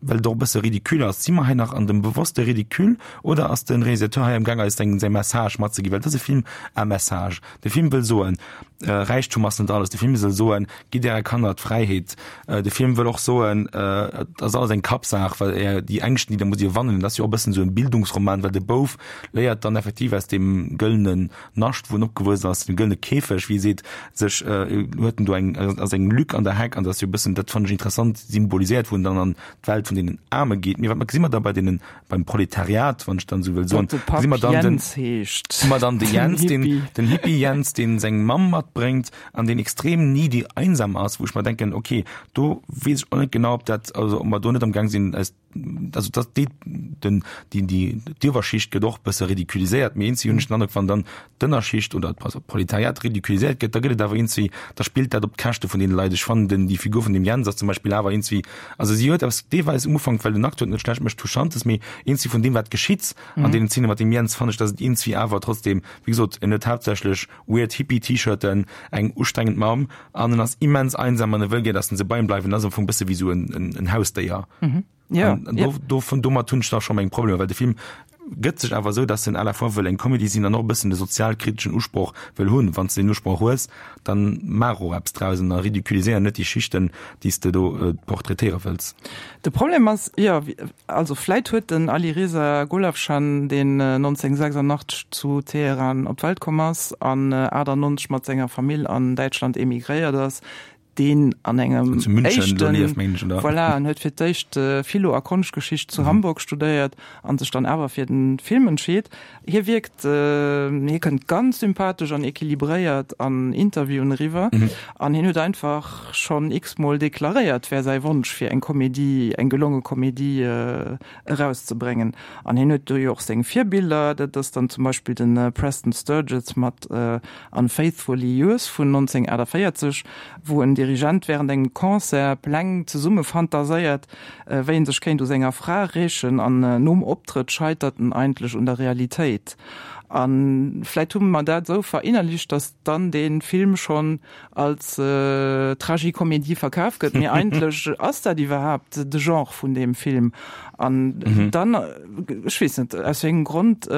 well et och e bësse ridicule ass, si mer hei nach an dem bewosste Ridicule oder ass de Realisateur hei am Gaang eis seng säi Message matzeginn? Well et ass e Film à message. De Film wëll soen, Räichtum ass net alles. De Film wëll soen, gitt äre Kanner d'Fräiheet. De Film wëll och soen, et ass alles eng Kappsaach, well är déi Ängschten, déi der musst iwwerwannen, dat ass jo och e bëssen esou en Bildungsroman, well de Bouf léiert dann effektiv aus deem gëllenen Nascht, wou en opgewuess ass, dem gëllene Käfeg, wéi e seet, sech huet en do eng, ass eng Lück an der Heck an dat ass jo e bëssen, dat fannen ech interessant symboliséiert, wou en dann an d'Welt vun deenen Aarme geet. Mee wat gesi mer da bei deenen, beim Proletariat, wann ech dann esou wëll soen, gesi mer dann den, gesi mer dann de Jens, den, den Hippie Jens, deen seng Mamm matbréngt an deen extrem needy, einsam ass, wou ech mer denken, okay, do weess ech och net genau, ob dat, also ob mer do net am Gaang sinn, eis, also dass déi, den, déi, déi, d'Iwwerschicht gëtt och e bësse ridiculiséiert, mee eenzi hunn ech den Androck, wann dann d'Ënnerschicht oder d'Proletariat ridiculiséiert gëtt, da gëtt et awer eenzi, da spillt dat op d'Käschte vun deene Leit. Ech fannen den, déi Figur vun dem Jens ass zum Beispill awer eenzi, also si huet eppes deelweis um Ufank, well den Acteur et net schlecht mécht, Touchantes, mee eenzi vun deem wat geschitt an deenen Zeene mat dem Jens, fannen ech, dass et eenzi awer trotzdem, wéi gesot, en huet haaptsächlech weird Hippie-T-Shirten, eng ustrengend Mamm an en ass immens einsam an e wëll gär, dass se bei em bleiwen, en ass am Fong bësse wéi esou en Hausdéier. Ja, an, an do, do, vun domat hunn ech da scho meng Problemer, well de Film gëtt sech awer esou, dass en à la fois wëll eng Comedy sinn an och e bëssen de sozialkriteschen Usproch wëll hunn. Wann s de deen Usproch hues, dann maach och eppes draus an da ridiculiséier net déi Schichten, déi s de do portraitéiere wëlls. De Problem ass, jo, also vläit huet den Alireza Golafshan, deen nonzénhunnertsechsundachtzeg zu Teheran op d'Welt komm ass an achtundneunzeg mat senger Famill an Däitschland emigréiert ass, deen an engem Zu München do éischten, lieft, mengen ech, oder? Voilà, en huet fir d'éischt Philo a Konschtgeschicht zu Hamburg studéiert an sech dann awer fir den Film entscheet. Hie wierkt, hie kënnt ganz sympathesch an equilibréiert an Interviewen eriwwer an hien huet einfach schonn x-mol deklaréiert, wär säi Wonsch fir eng Komedie, eng gelonge Komedie erauszebréngen. An hien huet do jo och seng Virbiller, dat ass dann zum Beispill de Preston Sturges mat Unfaithfully Yours vun nonzénhunnertachtundvéierzeg, wou en Dirigent während engem Concert Pläng zesumme fantaséiert, wéi en sech kéint u senger Fra rächen, an nom Optrëtt scheitert en eigentlech un der Realitéit. A vläit hu mer dat esou verinnerlicht, datt dann dee Film schonn als Tragicomédie verkaf gëtt, mee eigentlech ass dat iwwerhaapt de Genre vun deem Film. An dann, ech weess net, aus wéi engem Grond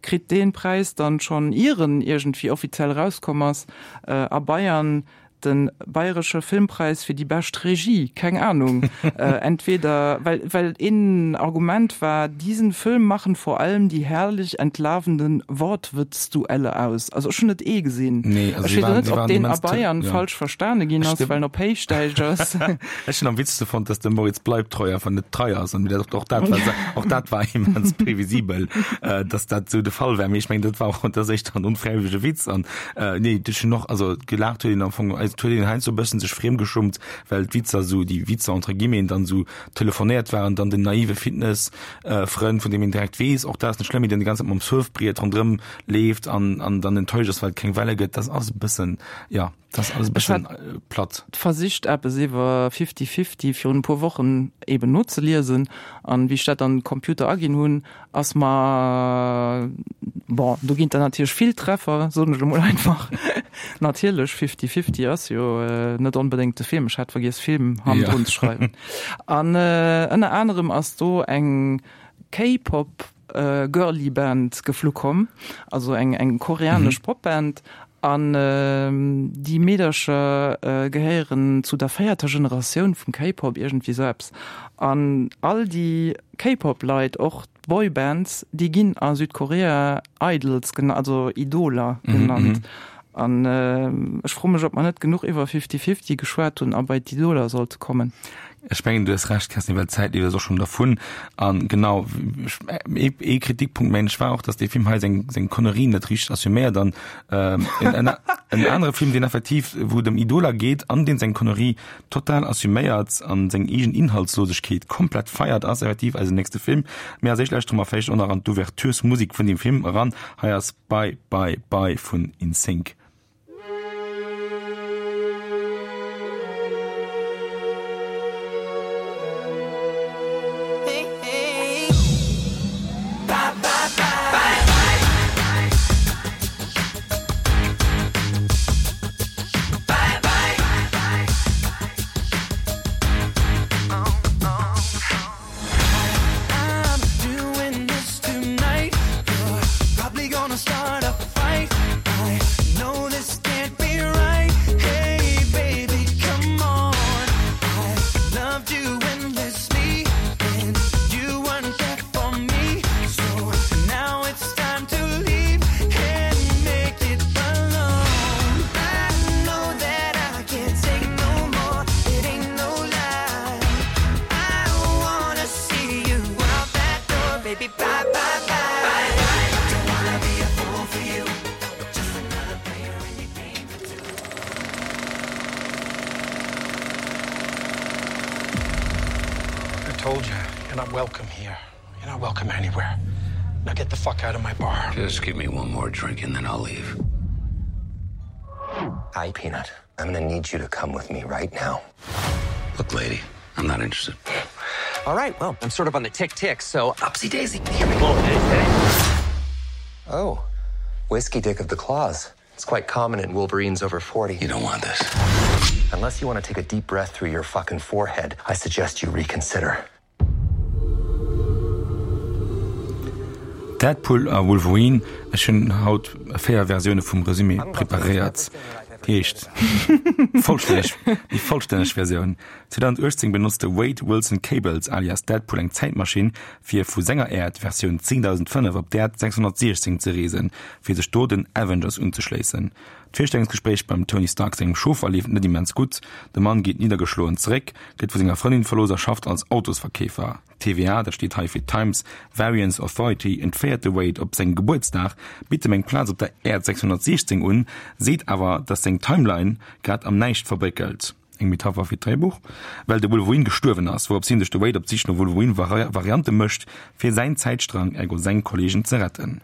kritt dee Präis dann schonn, ier en iergendwéi offiziell erauskomm ass, a Bayern Den Bayeresche Filmpreis fir déi bescht Regie, keng Ahnung, entweder well well een Argument war, diesen Film machen vor allem die herrlich entlarvenden Wortwitzduelle aus. Also ech hunn net ee gesinn. Nee, also Ech si weess och waren, net, si ob waren deen a immens Bayern ja. falsch verstane ginn Ech ass, de well en op Héichdäitsch ass. Ech hunn am witzegste fonnt, dass de Moritz Bleibtreu einfach net trei ass an dat och dat war och dat war immens previsibel, äh, dass dat sou de Fall wär. Mee ech mengen, dat war och dat ass éischter en onfräiwëllege Witz an äh, nee, ech hunn och also gelaacht huet een am Fong, also et huet een heiansdo e bëssen sech friemgeschummt, well d'Witzer sou, déi Witzer entre guillemeten, dann sou telefonéiert waren, dann den naive Fitness Frënd, vun deem een direkt weess, och dat ass net schlëmm, mee deen déi ganz Zäit mam Surfbriet ronderëm leeft an an dann enttäuscht ass, well et keng Welle gëtt, dat ass e bëssen, jo, dat ass alles e Ech bëssen hat platt. versicht eppes iwwer Fifty Fifty virun e puer Wochen eben nozeliesen an wéi ech dat an den Computer aginn hunn, ass mer, bon, do ginn der natierlech vill Treffer, soen ech emol einfach, natierlech, Fifty Fifty ass jo net onbedéngt de Film, ech hat vergiess Film hannendrun ze schreiwen. An ënner anerem ass do eng K-Pop Girly Band geflu komm, also eng eng koreanesch Popband, an déi Meedercher gehéieren zu der véierter Generatioun vum K-Pop, iergendwéi sou eppes. An all déi K-Pop-Leit, och d'Boybands, déi ginn a Südkorea Idols genannt, also Idoler genannt. An ech froe mech, ob mer net genuch iwwer Fifty Fifty geschwat hunn a bei d'Idoler sollte kommen. Ech mengen, du hues Recht, Kerstin, well d'Zäit leeft eis och schonn dervun. A genau, ee Kritikpunkt, mengen ech, war och, datt dee Film hei seng, seng Connerien net richteg assuméiert. An en, en anere Film, deen effektiv, wou et ëm Idoler geet an deen seng Connerie total assuméiert an seng eegen Inhaltslosegkeet komplett feiert, ass effektiv eisen nächste Film. Mee als éischt lauschtere mer vläicht och nach an d'Ouverturesmusek vun deem Film eran. Hei ass Bye Bye Bye vun In Sync. not welcome here. You're not welcome anywhere. Now get the fuck out of my bar. Just give me one more drink and then I'll leave. Hi, Peanut. I'm gonna need you to come with me right now. Look, lady, I'm not interested. All right, well, I'm sort of on the tick tick, so upsy daisy. Here we go. Oh, whiskey dick of the claws. It's quite common in Wolverines over forty. You don't want this. Unless you want to take a deep breath through your fucking forehead, I suggest you reconsider. Deadpool a Wolverine, Ech hunn haut véier Versioune vum Resumé preparéiert. Déi éischt vollstänneg, déi vollstänneg Versioun. zweedausendachtzéng benotzt de Wade Wilson Cables alias Deadpool eng Zäitmaschinn, fir vu senger Äerd, Versioun zéngdausendfënnef, op d'Äerd sechshonnertsiechzéng ze reesen, fir sech do den Avengers unzeschléissen. D'Virstellungsgespréich beim Tony Stark sengem Chauffer leeft net immens gutt, de Mann geet niddergeschloen zeréck, gëtt vu senger Frëndin verlooss a schafft als Autosverkeefer. T V A, dat steet hei fir Times Variance Authority, entféiert de Wade op sengem Gebuertsdag, bitt em eng Plaz op der Äerd sechshonnertsiechzéng un, seet awer, datt seng Timeline grad am Näischt verbréckelt, eng Metapher fir d'Dréibuch, well de Wolverine gestuerwen ass, wourops hin sech de Wade op d'Sich no Wolverine-Variante mécht, fir säin Zäitstrang, ergo seng Kolleegen ze retten.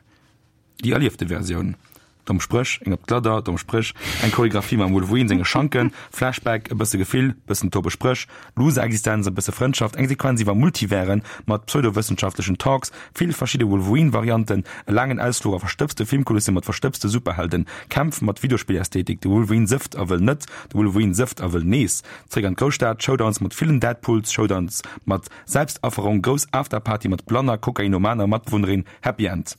Déi erliefte Versioun. Domm Spréch, eng op d'Gladder, domm Spréch, eng Choreographie mam Wolverine senge Schanken, Flashback, e bësse Gefill, bëssen tobe Spréch, Loser-Existenz, e bësse Frëndschaft, eng Sequenz iwwer Multiversen mat pseudowëssenschaftlechen Talks, vill verschidde Wolverine-Varianten, e laangen Ausfluch a verstëbste Filmkulisse mat verstëbste Superhelden, Kämpf mat Videospillästhetik, de Wolverine sëfft a wëll net, de Wolverine sëfft a wëll nees zréck an d'Grousstad, Showdowns mat villen Deadpools, Showdowns mat Selbstafferung, grouss Afterparty mat blanner kokainomaner Matbewunnerin, Happy End.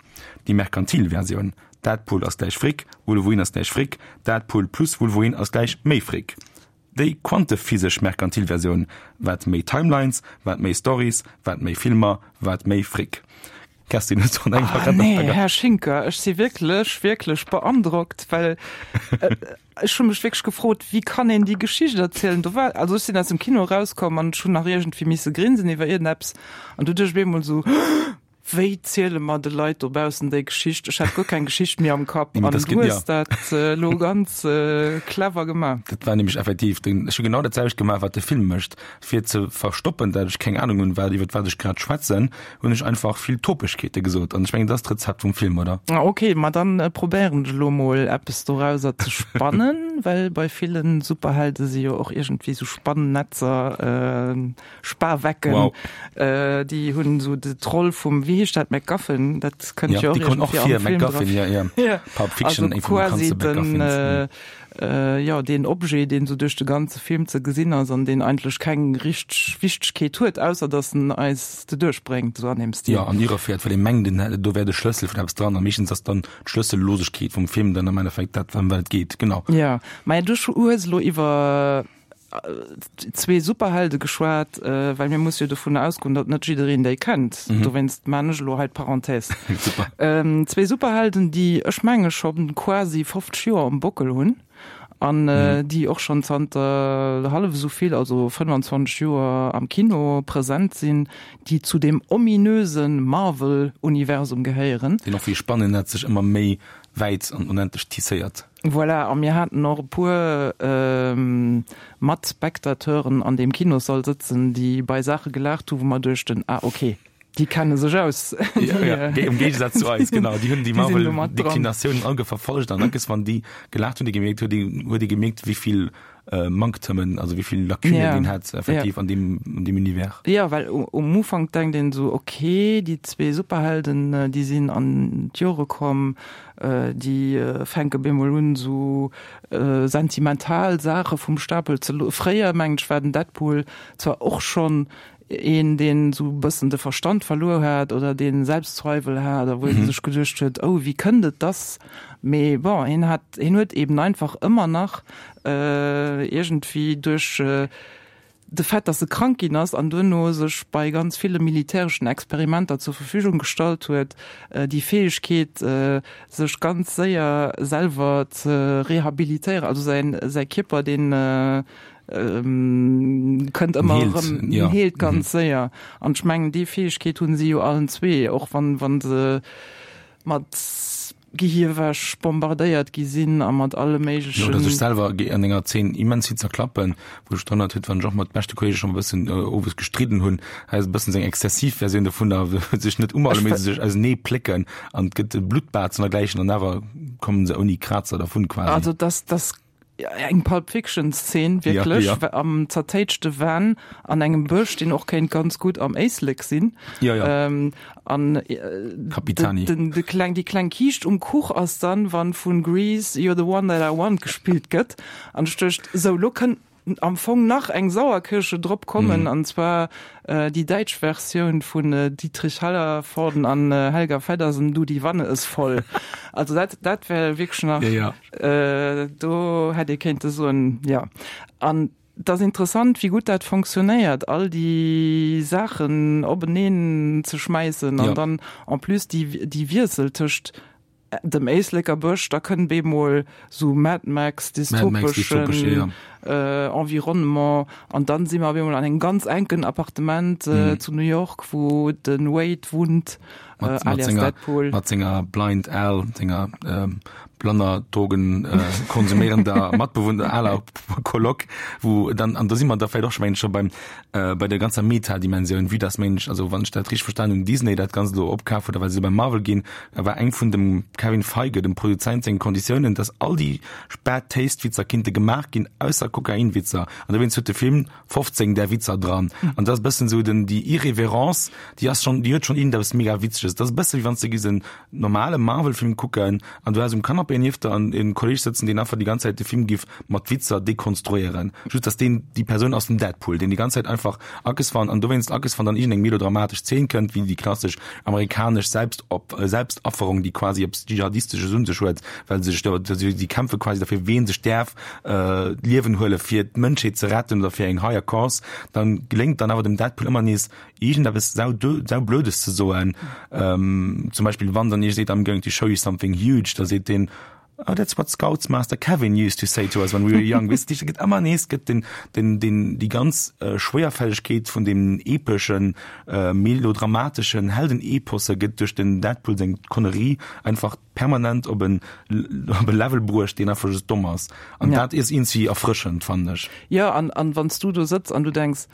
Déi merkantil Versioun. Deadpool ass gläich Frick, Wolverine ass gläich Frick, Deadpool plus Wolverine ass gläich méi Frick. Déi quantephysesch merkantil Versioun, Wat méi Timelines, wat méi Storys, wat méi Filmer, wat méi Frick. Kerstin, hues du an engem Ah, nee, Här Schinker, ech si wierklech, wierklech beandrockt, well ech hu mech wierklech gefrot, wéi kann een déi Geschicht erzielen? Do war, also ech sinn aus dem Kino erauskomm an ech hunn nach iergendwéi misse grinsen iwwer iergendeppes an du duecht ech op eemol esou, Wéi ziele mer de Leit dobaussen déi Geschicht? Ech hat guer keng Geschicht méi am Kapp an du hues dat elo ganz clever gemaach. Dat war nämlech effektiv den, ech hu genau dat selwecht gemaach, wat de Film mécht. Fir ze verstoppen, dat ech keng Anung hunn, wat, iwwert wat ech grad schwätzen, hunn ech einfach vill Topegkeete gesot. An ech mengen, dat ass d'Rezept vum Film, oder? Ok, ma dann probéieren ech elo mol eppes dorauser ze spannen, well bei villen Superhelde si jo och iergendwéi sou Spannetzer, Spawecken, Wow. Déi hunn esou d'Roll vum, wéi heescht dat, MacGuffin, dat kënnt jo och iergendwéi am Film dra vir. Ja, ja. Pulp Fiction, also quasi den, jo, deen Objet, deen esou duerch de ganze Film ze gesinn ass an deen eigentlech keng richteg Wichtegkeet huet, ausser datt en eis doduerch bréngt, esou an deem Stil. Jo, an irreführt, well ee mengt, en, do wär de Schlëssel vun eppes dran a meeschtens ass dann d'Schlëssellosegkeet vum Film dann am Endeffekt dat, ëm wat et geet. Genau. Jo, maja, du hues elo iwwer zwee Superhelde geschwat, well mir musse jo dovun ausgoen, datt net jiddereen déi kennt. Mhm. Dowéinst maan ech elo hei d'Parenthèse. Super. Ähm, zwee Superhelden, déi ech menge scho quasi fofzeg Joer um Bockel hunn an mhm. déi och schonn zanter hallef esou vill, also fënnfanzwanzeg Joer am Kino present sinn, déi zu dem ominöse Marvel-Universum gehéieren. Deen och wéi Spannennetz sech ëmmer méi wäit an onendlech tisséiert. Voilà, a mir haten och e puer Matspectateuren an deem Kinossall sëtzen, déi bei Saache gelaacht hu wou mer duechten, ah ok, déi kenne sech aus. Ja, ja, am Géigesaz zu eis, genau. Déi hunn déi Marvel-Deklinatiounen all verfollegt an dackes wann déi gelaacht hunn, huet ee huet ee gemierkt, wéi vill Manktëmmen, also wéi vill Lacunen Ja. deen hat effektiv Ja. an deem, an deem Univers. Jo, well um Ufank denkt een esou, ok, déi zwee Superhelden, déi sinn an d'Jore komm, déi fänke bemol un esou sentimental Saache vum Stapel ze lo. Fréier, mengen ech, war den Deadpool zwar och schonn een, deen esou e bëssen de Verstand verluer hat oder dee Selbstzweiwel hat a wou ee sech geduecht huet, oh, wéi kënnt et, dass. Mee bon, hien hat, hien huet eben einfach ëmmer nach iergendwéi duerch de Fait, dass e krank ginn ass an duerno sech bei ganz ville militäreschen Experimenter zur Verfügung gestallt huet, déi Fäegkeet, sech ganz séier selwer ze rehabilitéieren, also säin, säi Kierper, deen kënnt ëmmer erëm, en heelt ganz séier. An ech mengen, déi Fäegkeet hunn si jo allen zwee, och wann, wann se mat Gehirwäsch bombardéiert gi sinn a mat alle méiglechen. Jo, oder sech selwer an enger Zeen immens vill zerklappen, wou ech drun erinnert huet, wann ech och mat beschte Kolleege schonn e bëssen owes gestridden hunn, hei ass e bëssen seng exzessiv Versioun dovunner, wou se sech net umalen, mee se sech ausenee plécken an et gëtt e Blutbad an dergläichen an awer kommen se ouni Krazer dervun quasi. Also dass, dass eng Pulp Fiction Szene wierklech ja, ja. am zertéitschte Van an engem Bësch, deen och kéint ganz gutt am Éislek sinn. Ja, ja. Ähm, an äh, Capitani. Den, de kleng, déi kleng Kiischt um Kuch ass dann, wann vun Grease You're the one that I want gespillt gëtt. An ech duecht, sou, lo kënnt am Fong nach eng Sauerkirsche drop kommen, mhm. an zwar äh, déi däitsch Versioun vun äh, Dietrich Hallervorden an äh, Helga Feddersen, Du, die Wanne ist voll. Also dat, dat wär wierklech nach, ja, ja. Äh, do hätt ee kéinte soen, ja. An et ass interessant, wéi gutt dat fonctionnéiert, all déi Saachen openeen ze schmäissen an Ja. dann en plus déi, déi Wiessel tëscht dem Éisleker Bësch, da kënnt bemol sou Mad Max, dystopeschen äh, Environnement an dann si mer bemol an engem ganz enken Appartement äh, mhm. zu New York, wou den Wade wunnt, äh, mat, mat senger, Deadpool. Mat senger Blind Al, senger ähm, blanner Drogen äh, konsumierender Matbewunner aler Coloc, wou dann an do si mer da vläicht och schon schon beim äh, bei der ganzer Metadimensioun, wéi das Mensch, also wann ech dat richteg verstanen hunn, Disney dat Ganzt elo opkaf huet, well se bei Marvel ginn, da war eng vun dem Kevin Feige, dem Produzent, senge Konditiounen, dass all déi Bad Taste Witzer kinnte gemaach ginn, ausser Kokainwitzer. An dowéinst huet de Film fofzéng där Witzer dran. An dat ass e bëssen esou den, déi Irreverence, déi ass schonn, déi huet schonn iergendeppes mega Witzeges. Dat ass e bësse wéi wann s de giss en normale Marvel-Film kucken an du häss um Canapé nieft der en Kolleg sëtzen, deen einfach déi ganz Zäit de Film giff mat Witzer dekonstruéieren. Just dass deen, déi Persoun ass den Deadpool, deen déi ganz Zäit einfach Ackes wann an dowéinst Ackes wann dann iergendeng melodramatesch Zeen kënnt, wéi déi klassesch amerikanesch Selbstop Selbstafferung, déi quasi eppes Dschihadistesches un sech huet, well se sech do, si kämpfe quasi derfir, ween sech däerf d'Liewen huele fir d'Mënschheet ze retten oder fir eng higher cause, dann geléngt dann awer dem Deadpool ëmmer nees iergendeppes sau saublödes ze soen. Zum Beispill wann dann ee seet, I'm going to show you something huge, da seet deen, Oh, that's what Scoutsmaster Kevin used to say to us when we were young. Weess de, gëtt ëmmer nees gëtt den, den, den, déi ganz Schwéierfällegkeet vun deem epeschen, melodramateschen Heldeneposse gëtt duerch den Deadpool seng Connerie einfach permanent op en, op e Level bruecht, deen einfach just domm ass. An Ja. dat is iergendwéi erfrëschend, fannen ech. Jo, an, an wann s du do sëtz an du denks,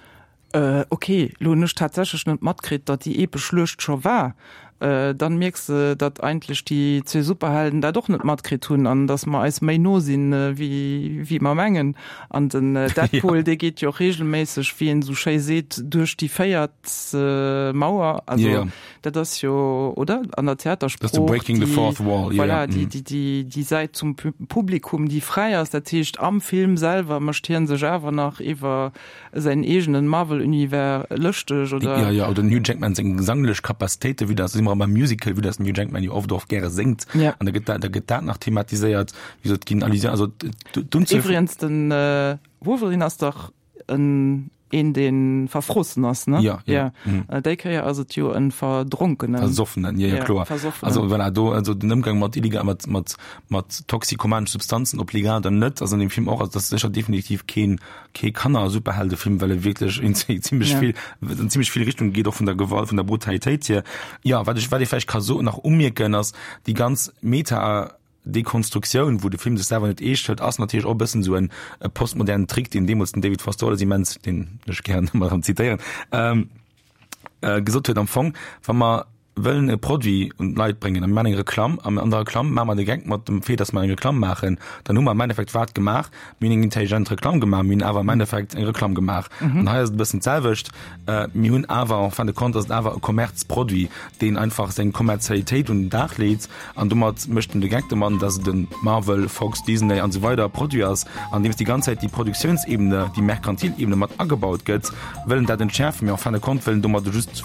Äh, ok, lo hunn ech tatsächlech net matkritt, datt déi epesch Schluecht scho war. Äh, dann mierks de, datt eigentlech déi zwee Superhelden dat och net matkritt hunn an datt mer eis méi no sinn, wéi, wéi mer mengen. An den Deadpool, dee geet jo och reegelméisseg, wéi een esou schéi seet, duerch déi véiert Mauer. Also, Ja, ja. dat ass jo, oder? An der Das ist Theatersprooch, de Breaking the déi, Fourth Wall, ja, voilà, ja. déi, déi, déi, déi Säit zum Publikum, déi fräi ass. Dat heescht, am Film selwer mécht hie sech awer nach iwwer säin eegenen Marvel-Univers lëschteg, oder? Ja, ja, oder den Hugh Jackman seng gesanglech Capacitéiten, vue dass, si mer beim Musical, vue dass den Hugh Jackman jo oft och gäre séngt, Ja. an da gëtt dat, da gëtt dat nach thematiséiert, wéi gesot, et ginn Allusionen, also d'Unzuel vun. Iwwregens, den Wolverine ass dach en, een dee verfrossen ass, ne? Ja, ja. Ja. Déi Kéier ass et jo en Verdronkenen. Versoffenen, ja, ja, Ja, kloer. Versoffenen. Also voilà, do, also den Ëmgang mat illegal, mat, mat, mat toxikomanesche Substanzen, ob legal oder net, ass an dem Film och, also dat ass sécher definitiv keen, kee Kanner-Superheldefilm, well e wierklech in zimmlech Ja. vill, an zimmlech vill Richtungen geet, och vun der Gewalt, vun der Brutalitéit hier. Ja, wat ech, wat ee vläicht ka so nach umierken, ass déi ganz Meta, Dekonstruktioun, wou de Film sech selwer net eescht hëlt, ass natierlech och e bëssen esou en postmodernen Trick, deen deemools den David Foster Wallace immens, deen ech gären ëmmer erëm zitéieren, gesot huet, am Fong, wa mer wëllen e Produit un d'Leit bréngen a mir maachen eng Reklamm an an der Reklamm maache mer de Geck mat dem Fait, datt mer eng Reklamm maachen, dann hu mer am Endeffekt wat gemaach? Mir hunn eng intelligent Reklamm gemaach, mir hunn awer am Endeffekt eng Reklamm gemaach. An hei ass et e bëssen d'selwecht, mir hunn awer en fin de compte ass et awer e Kommerzproduit, deen einfach seng Kommerzialitéit un den Dag leet an domat mécht en de Geck domat, dass et e Marvel, Fox, Disney an esou weider Produit ass, andeems déi ganz Zäit déi Produktiounsebene, déi merkantil Ebene mat agebaut gëtt, wëll en dat entschäerfen, mee en fin de compte wëll en domat just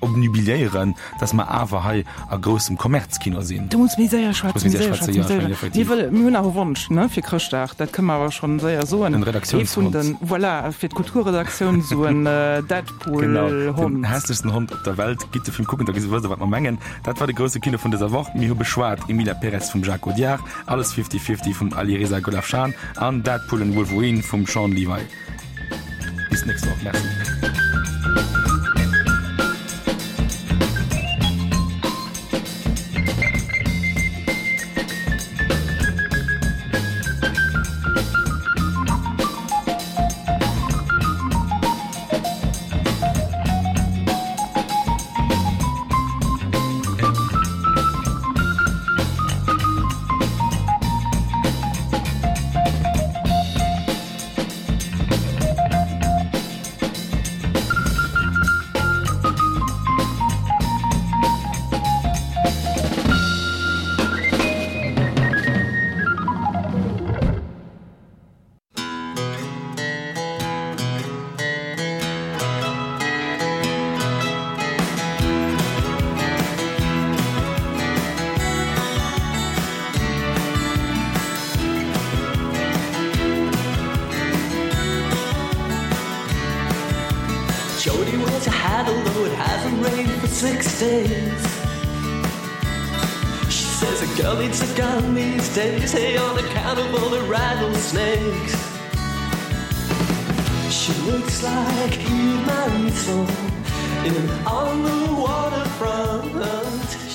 obnubiliéieren, dass mer awer hei a groussem Kommerzkino sinn. Du muss méi séier schwätzen, Muss méi méi séier séier schwätzen, schwätzen, jo, méi ech mengen séier. effektiv. Mir wëlle, mir hunn nach e Wonsch, ne, fir Chrëschtdag, dat kënne mer awer schonn séier soen. En Ee vun Redaktiounshond. den, voilà, fir d'Kulturredaktioun esou en Deadpool-Hond. Genau, den hässlechsten Hond op der Welt. Gitt de Film kucken, da wësst der, wat mer mengen. Dat war de grousse Kino vun dëser Woch. Mir hu beschwat Emilia Pérez vum Jacques Audiard, Alles Fifty Fifty vum Alireza Golafshan an Deadpool and Wolverine vum Shawn Levy. Bis d'nächst Woch. Merci. Jody wears a hat although it hasn't rained for six days. She says a girl needs a gun these days, hey, on account of all the rattlesnakes. She looks like Eve Marisol in On the Waterfront.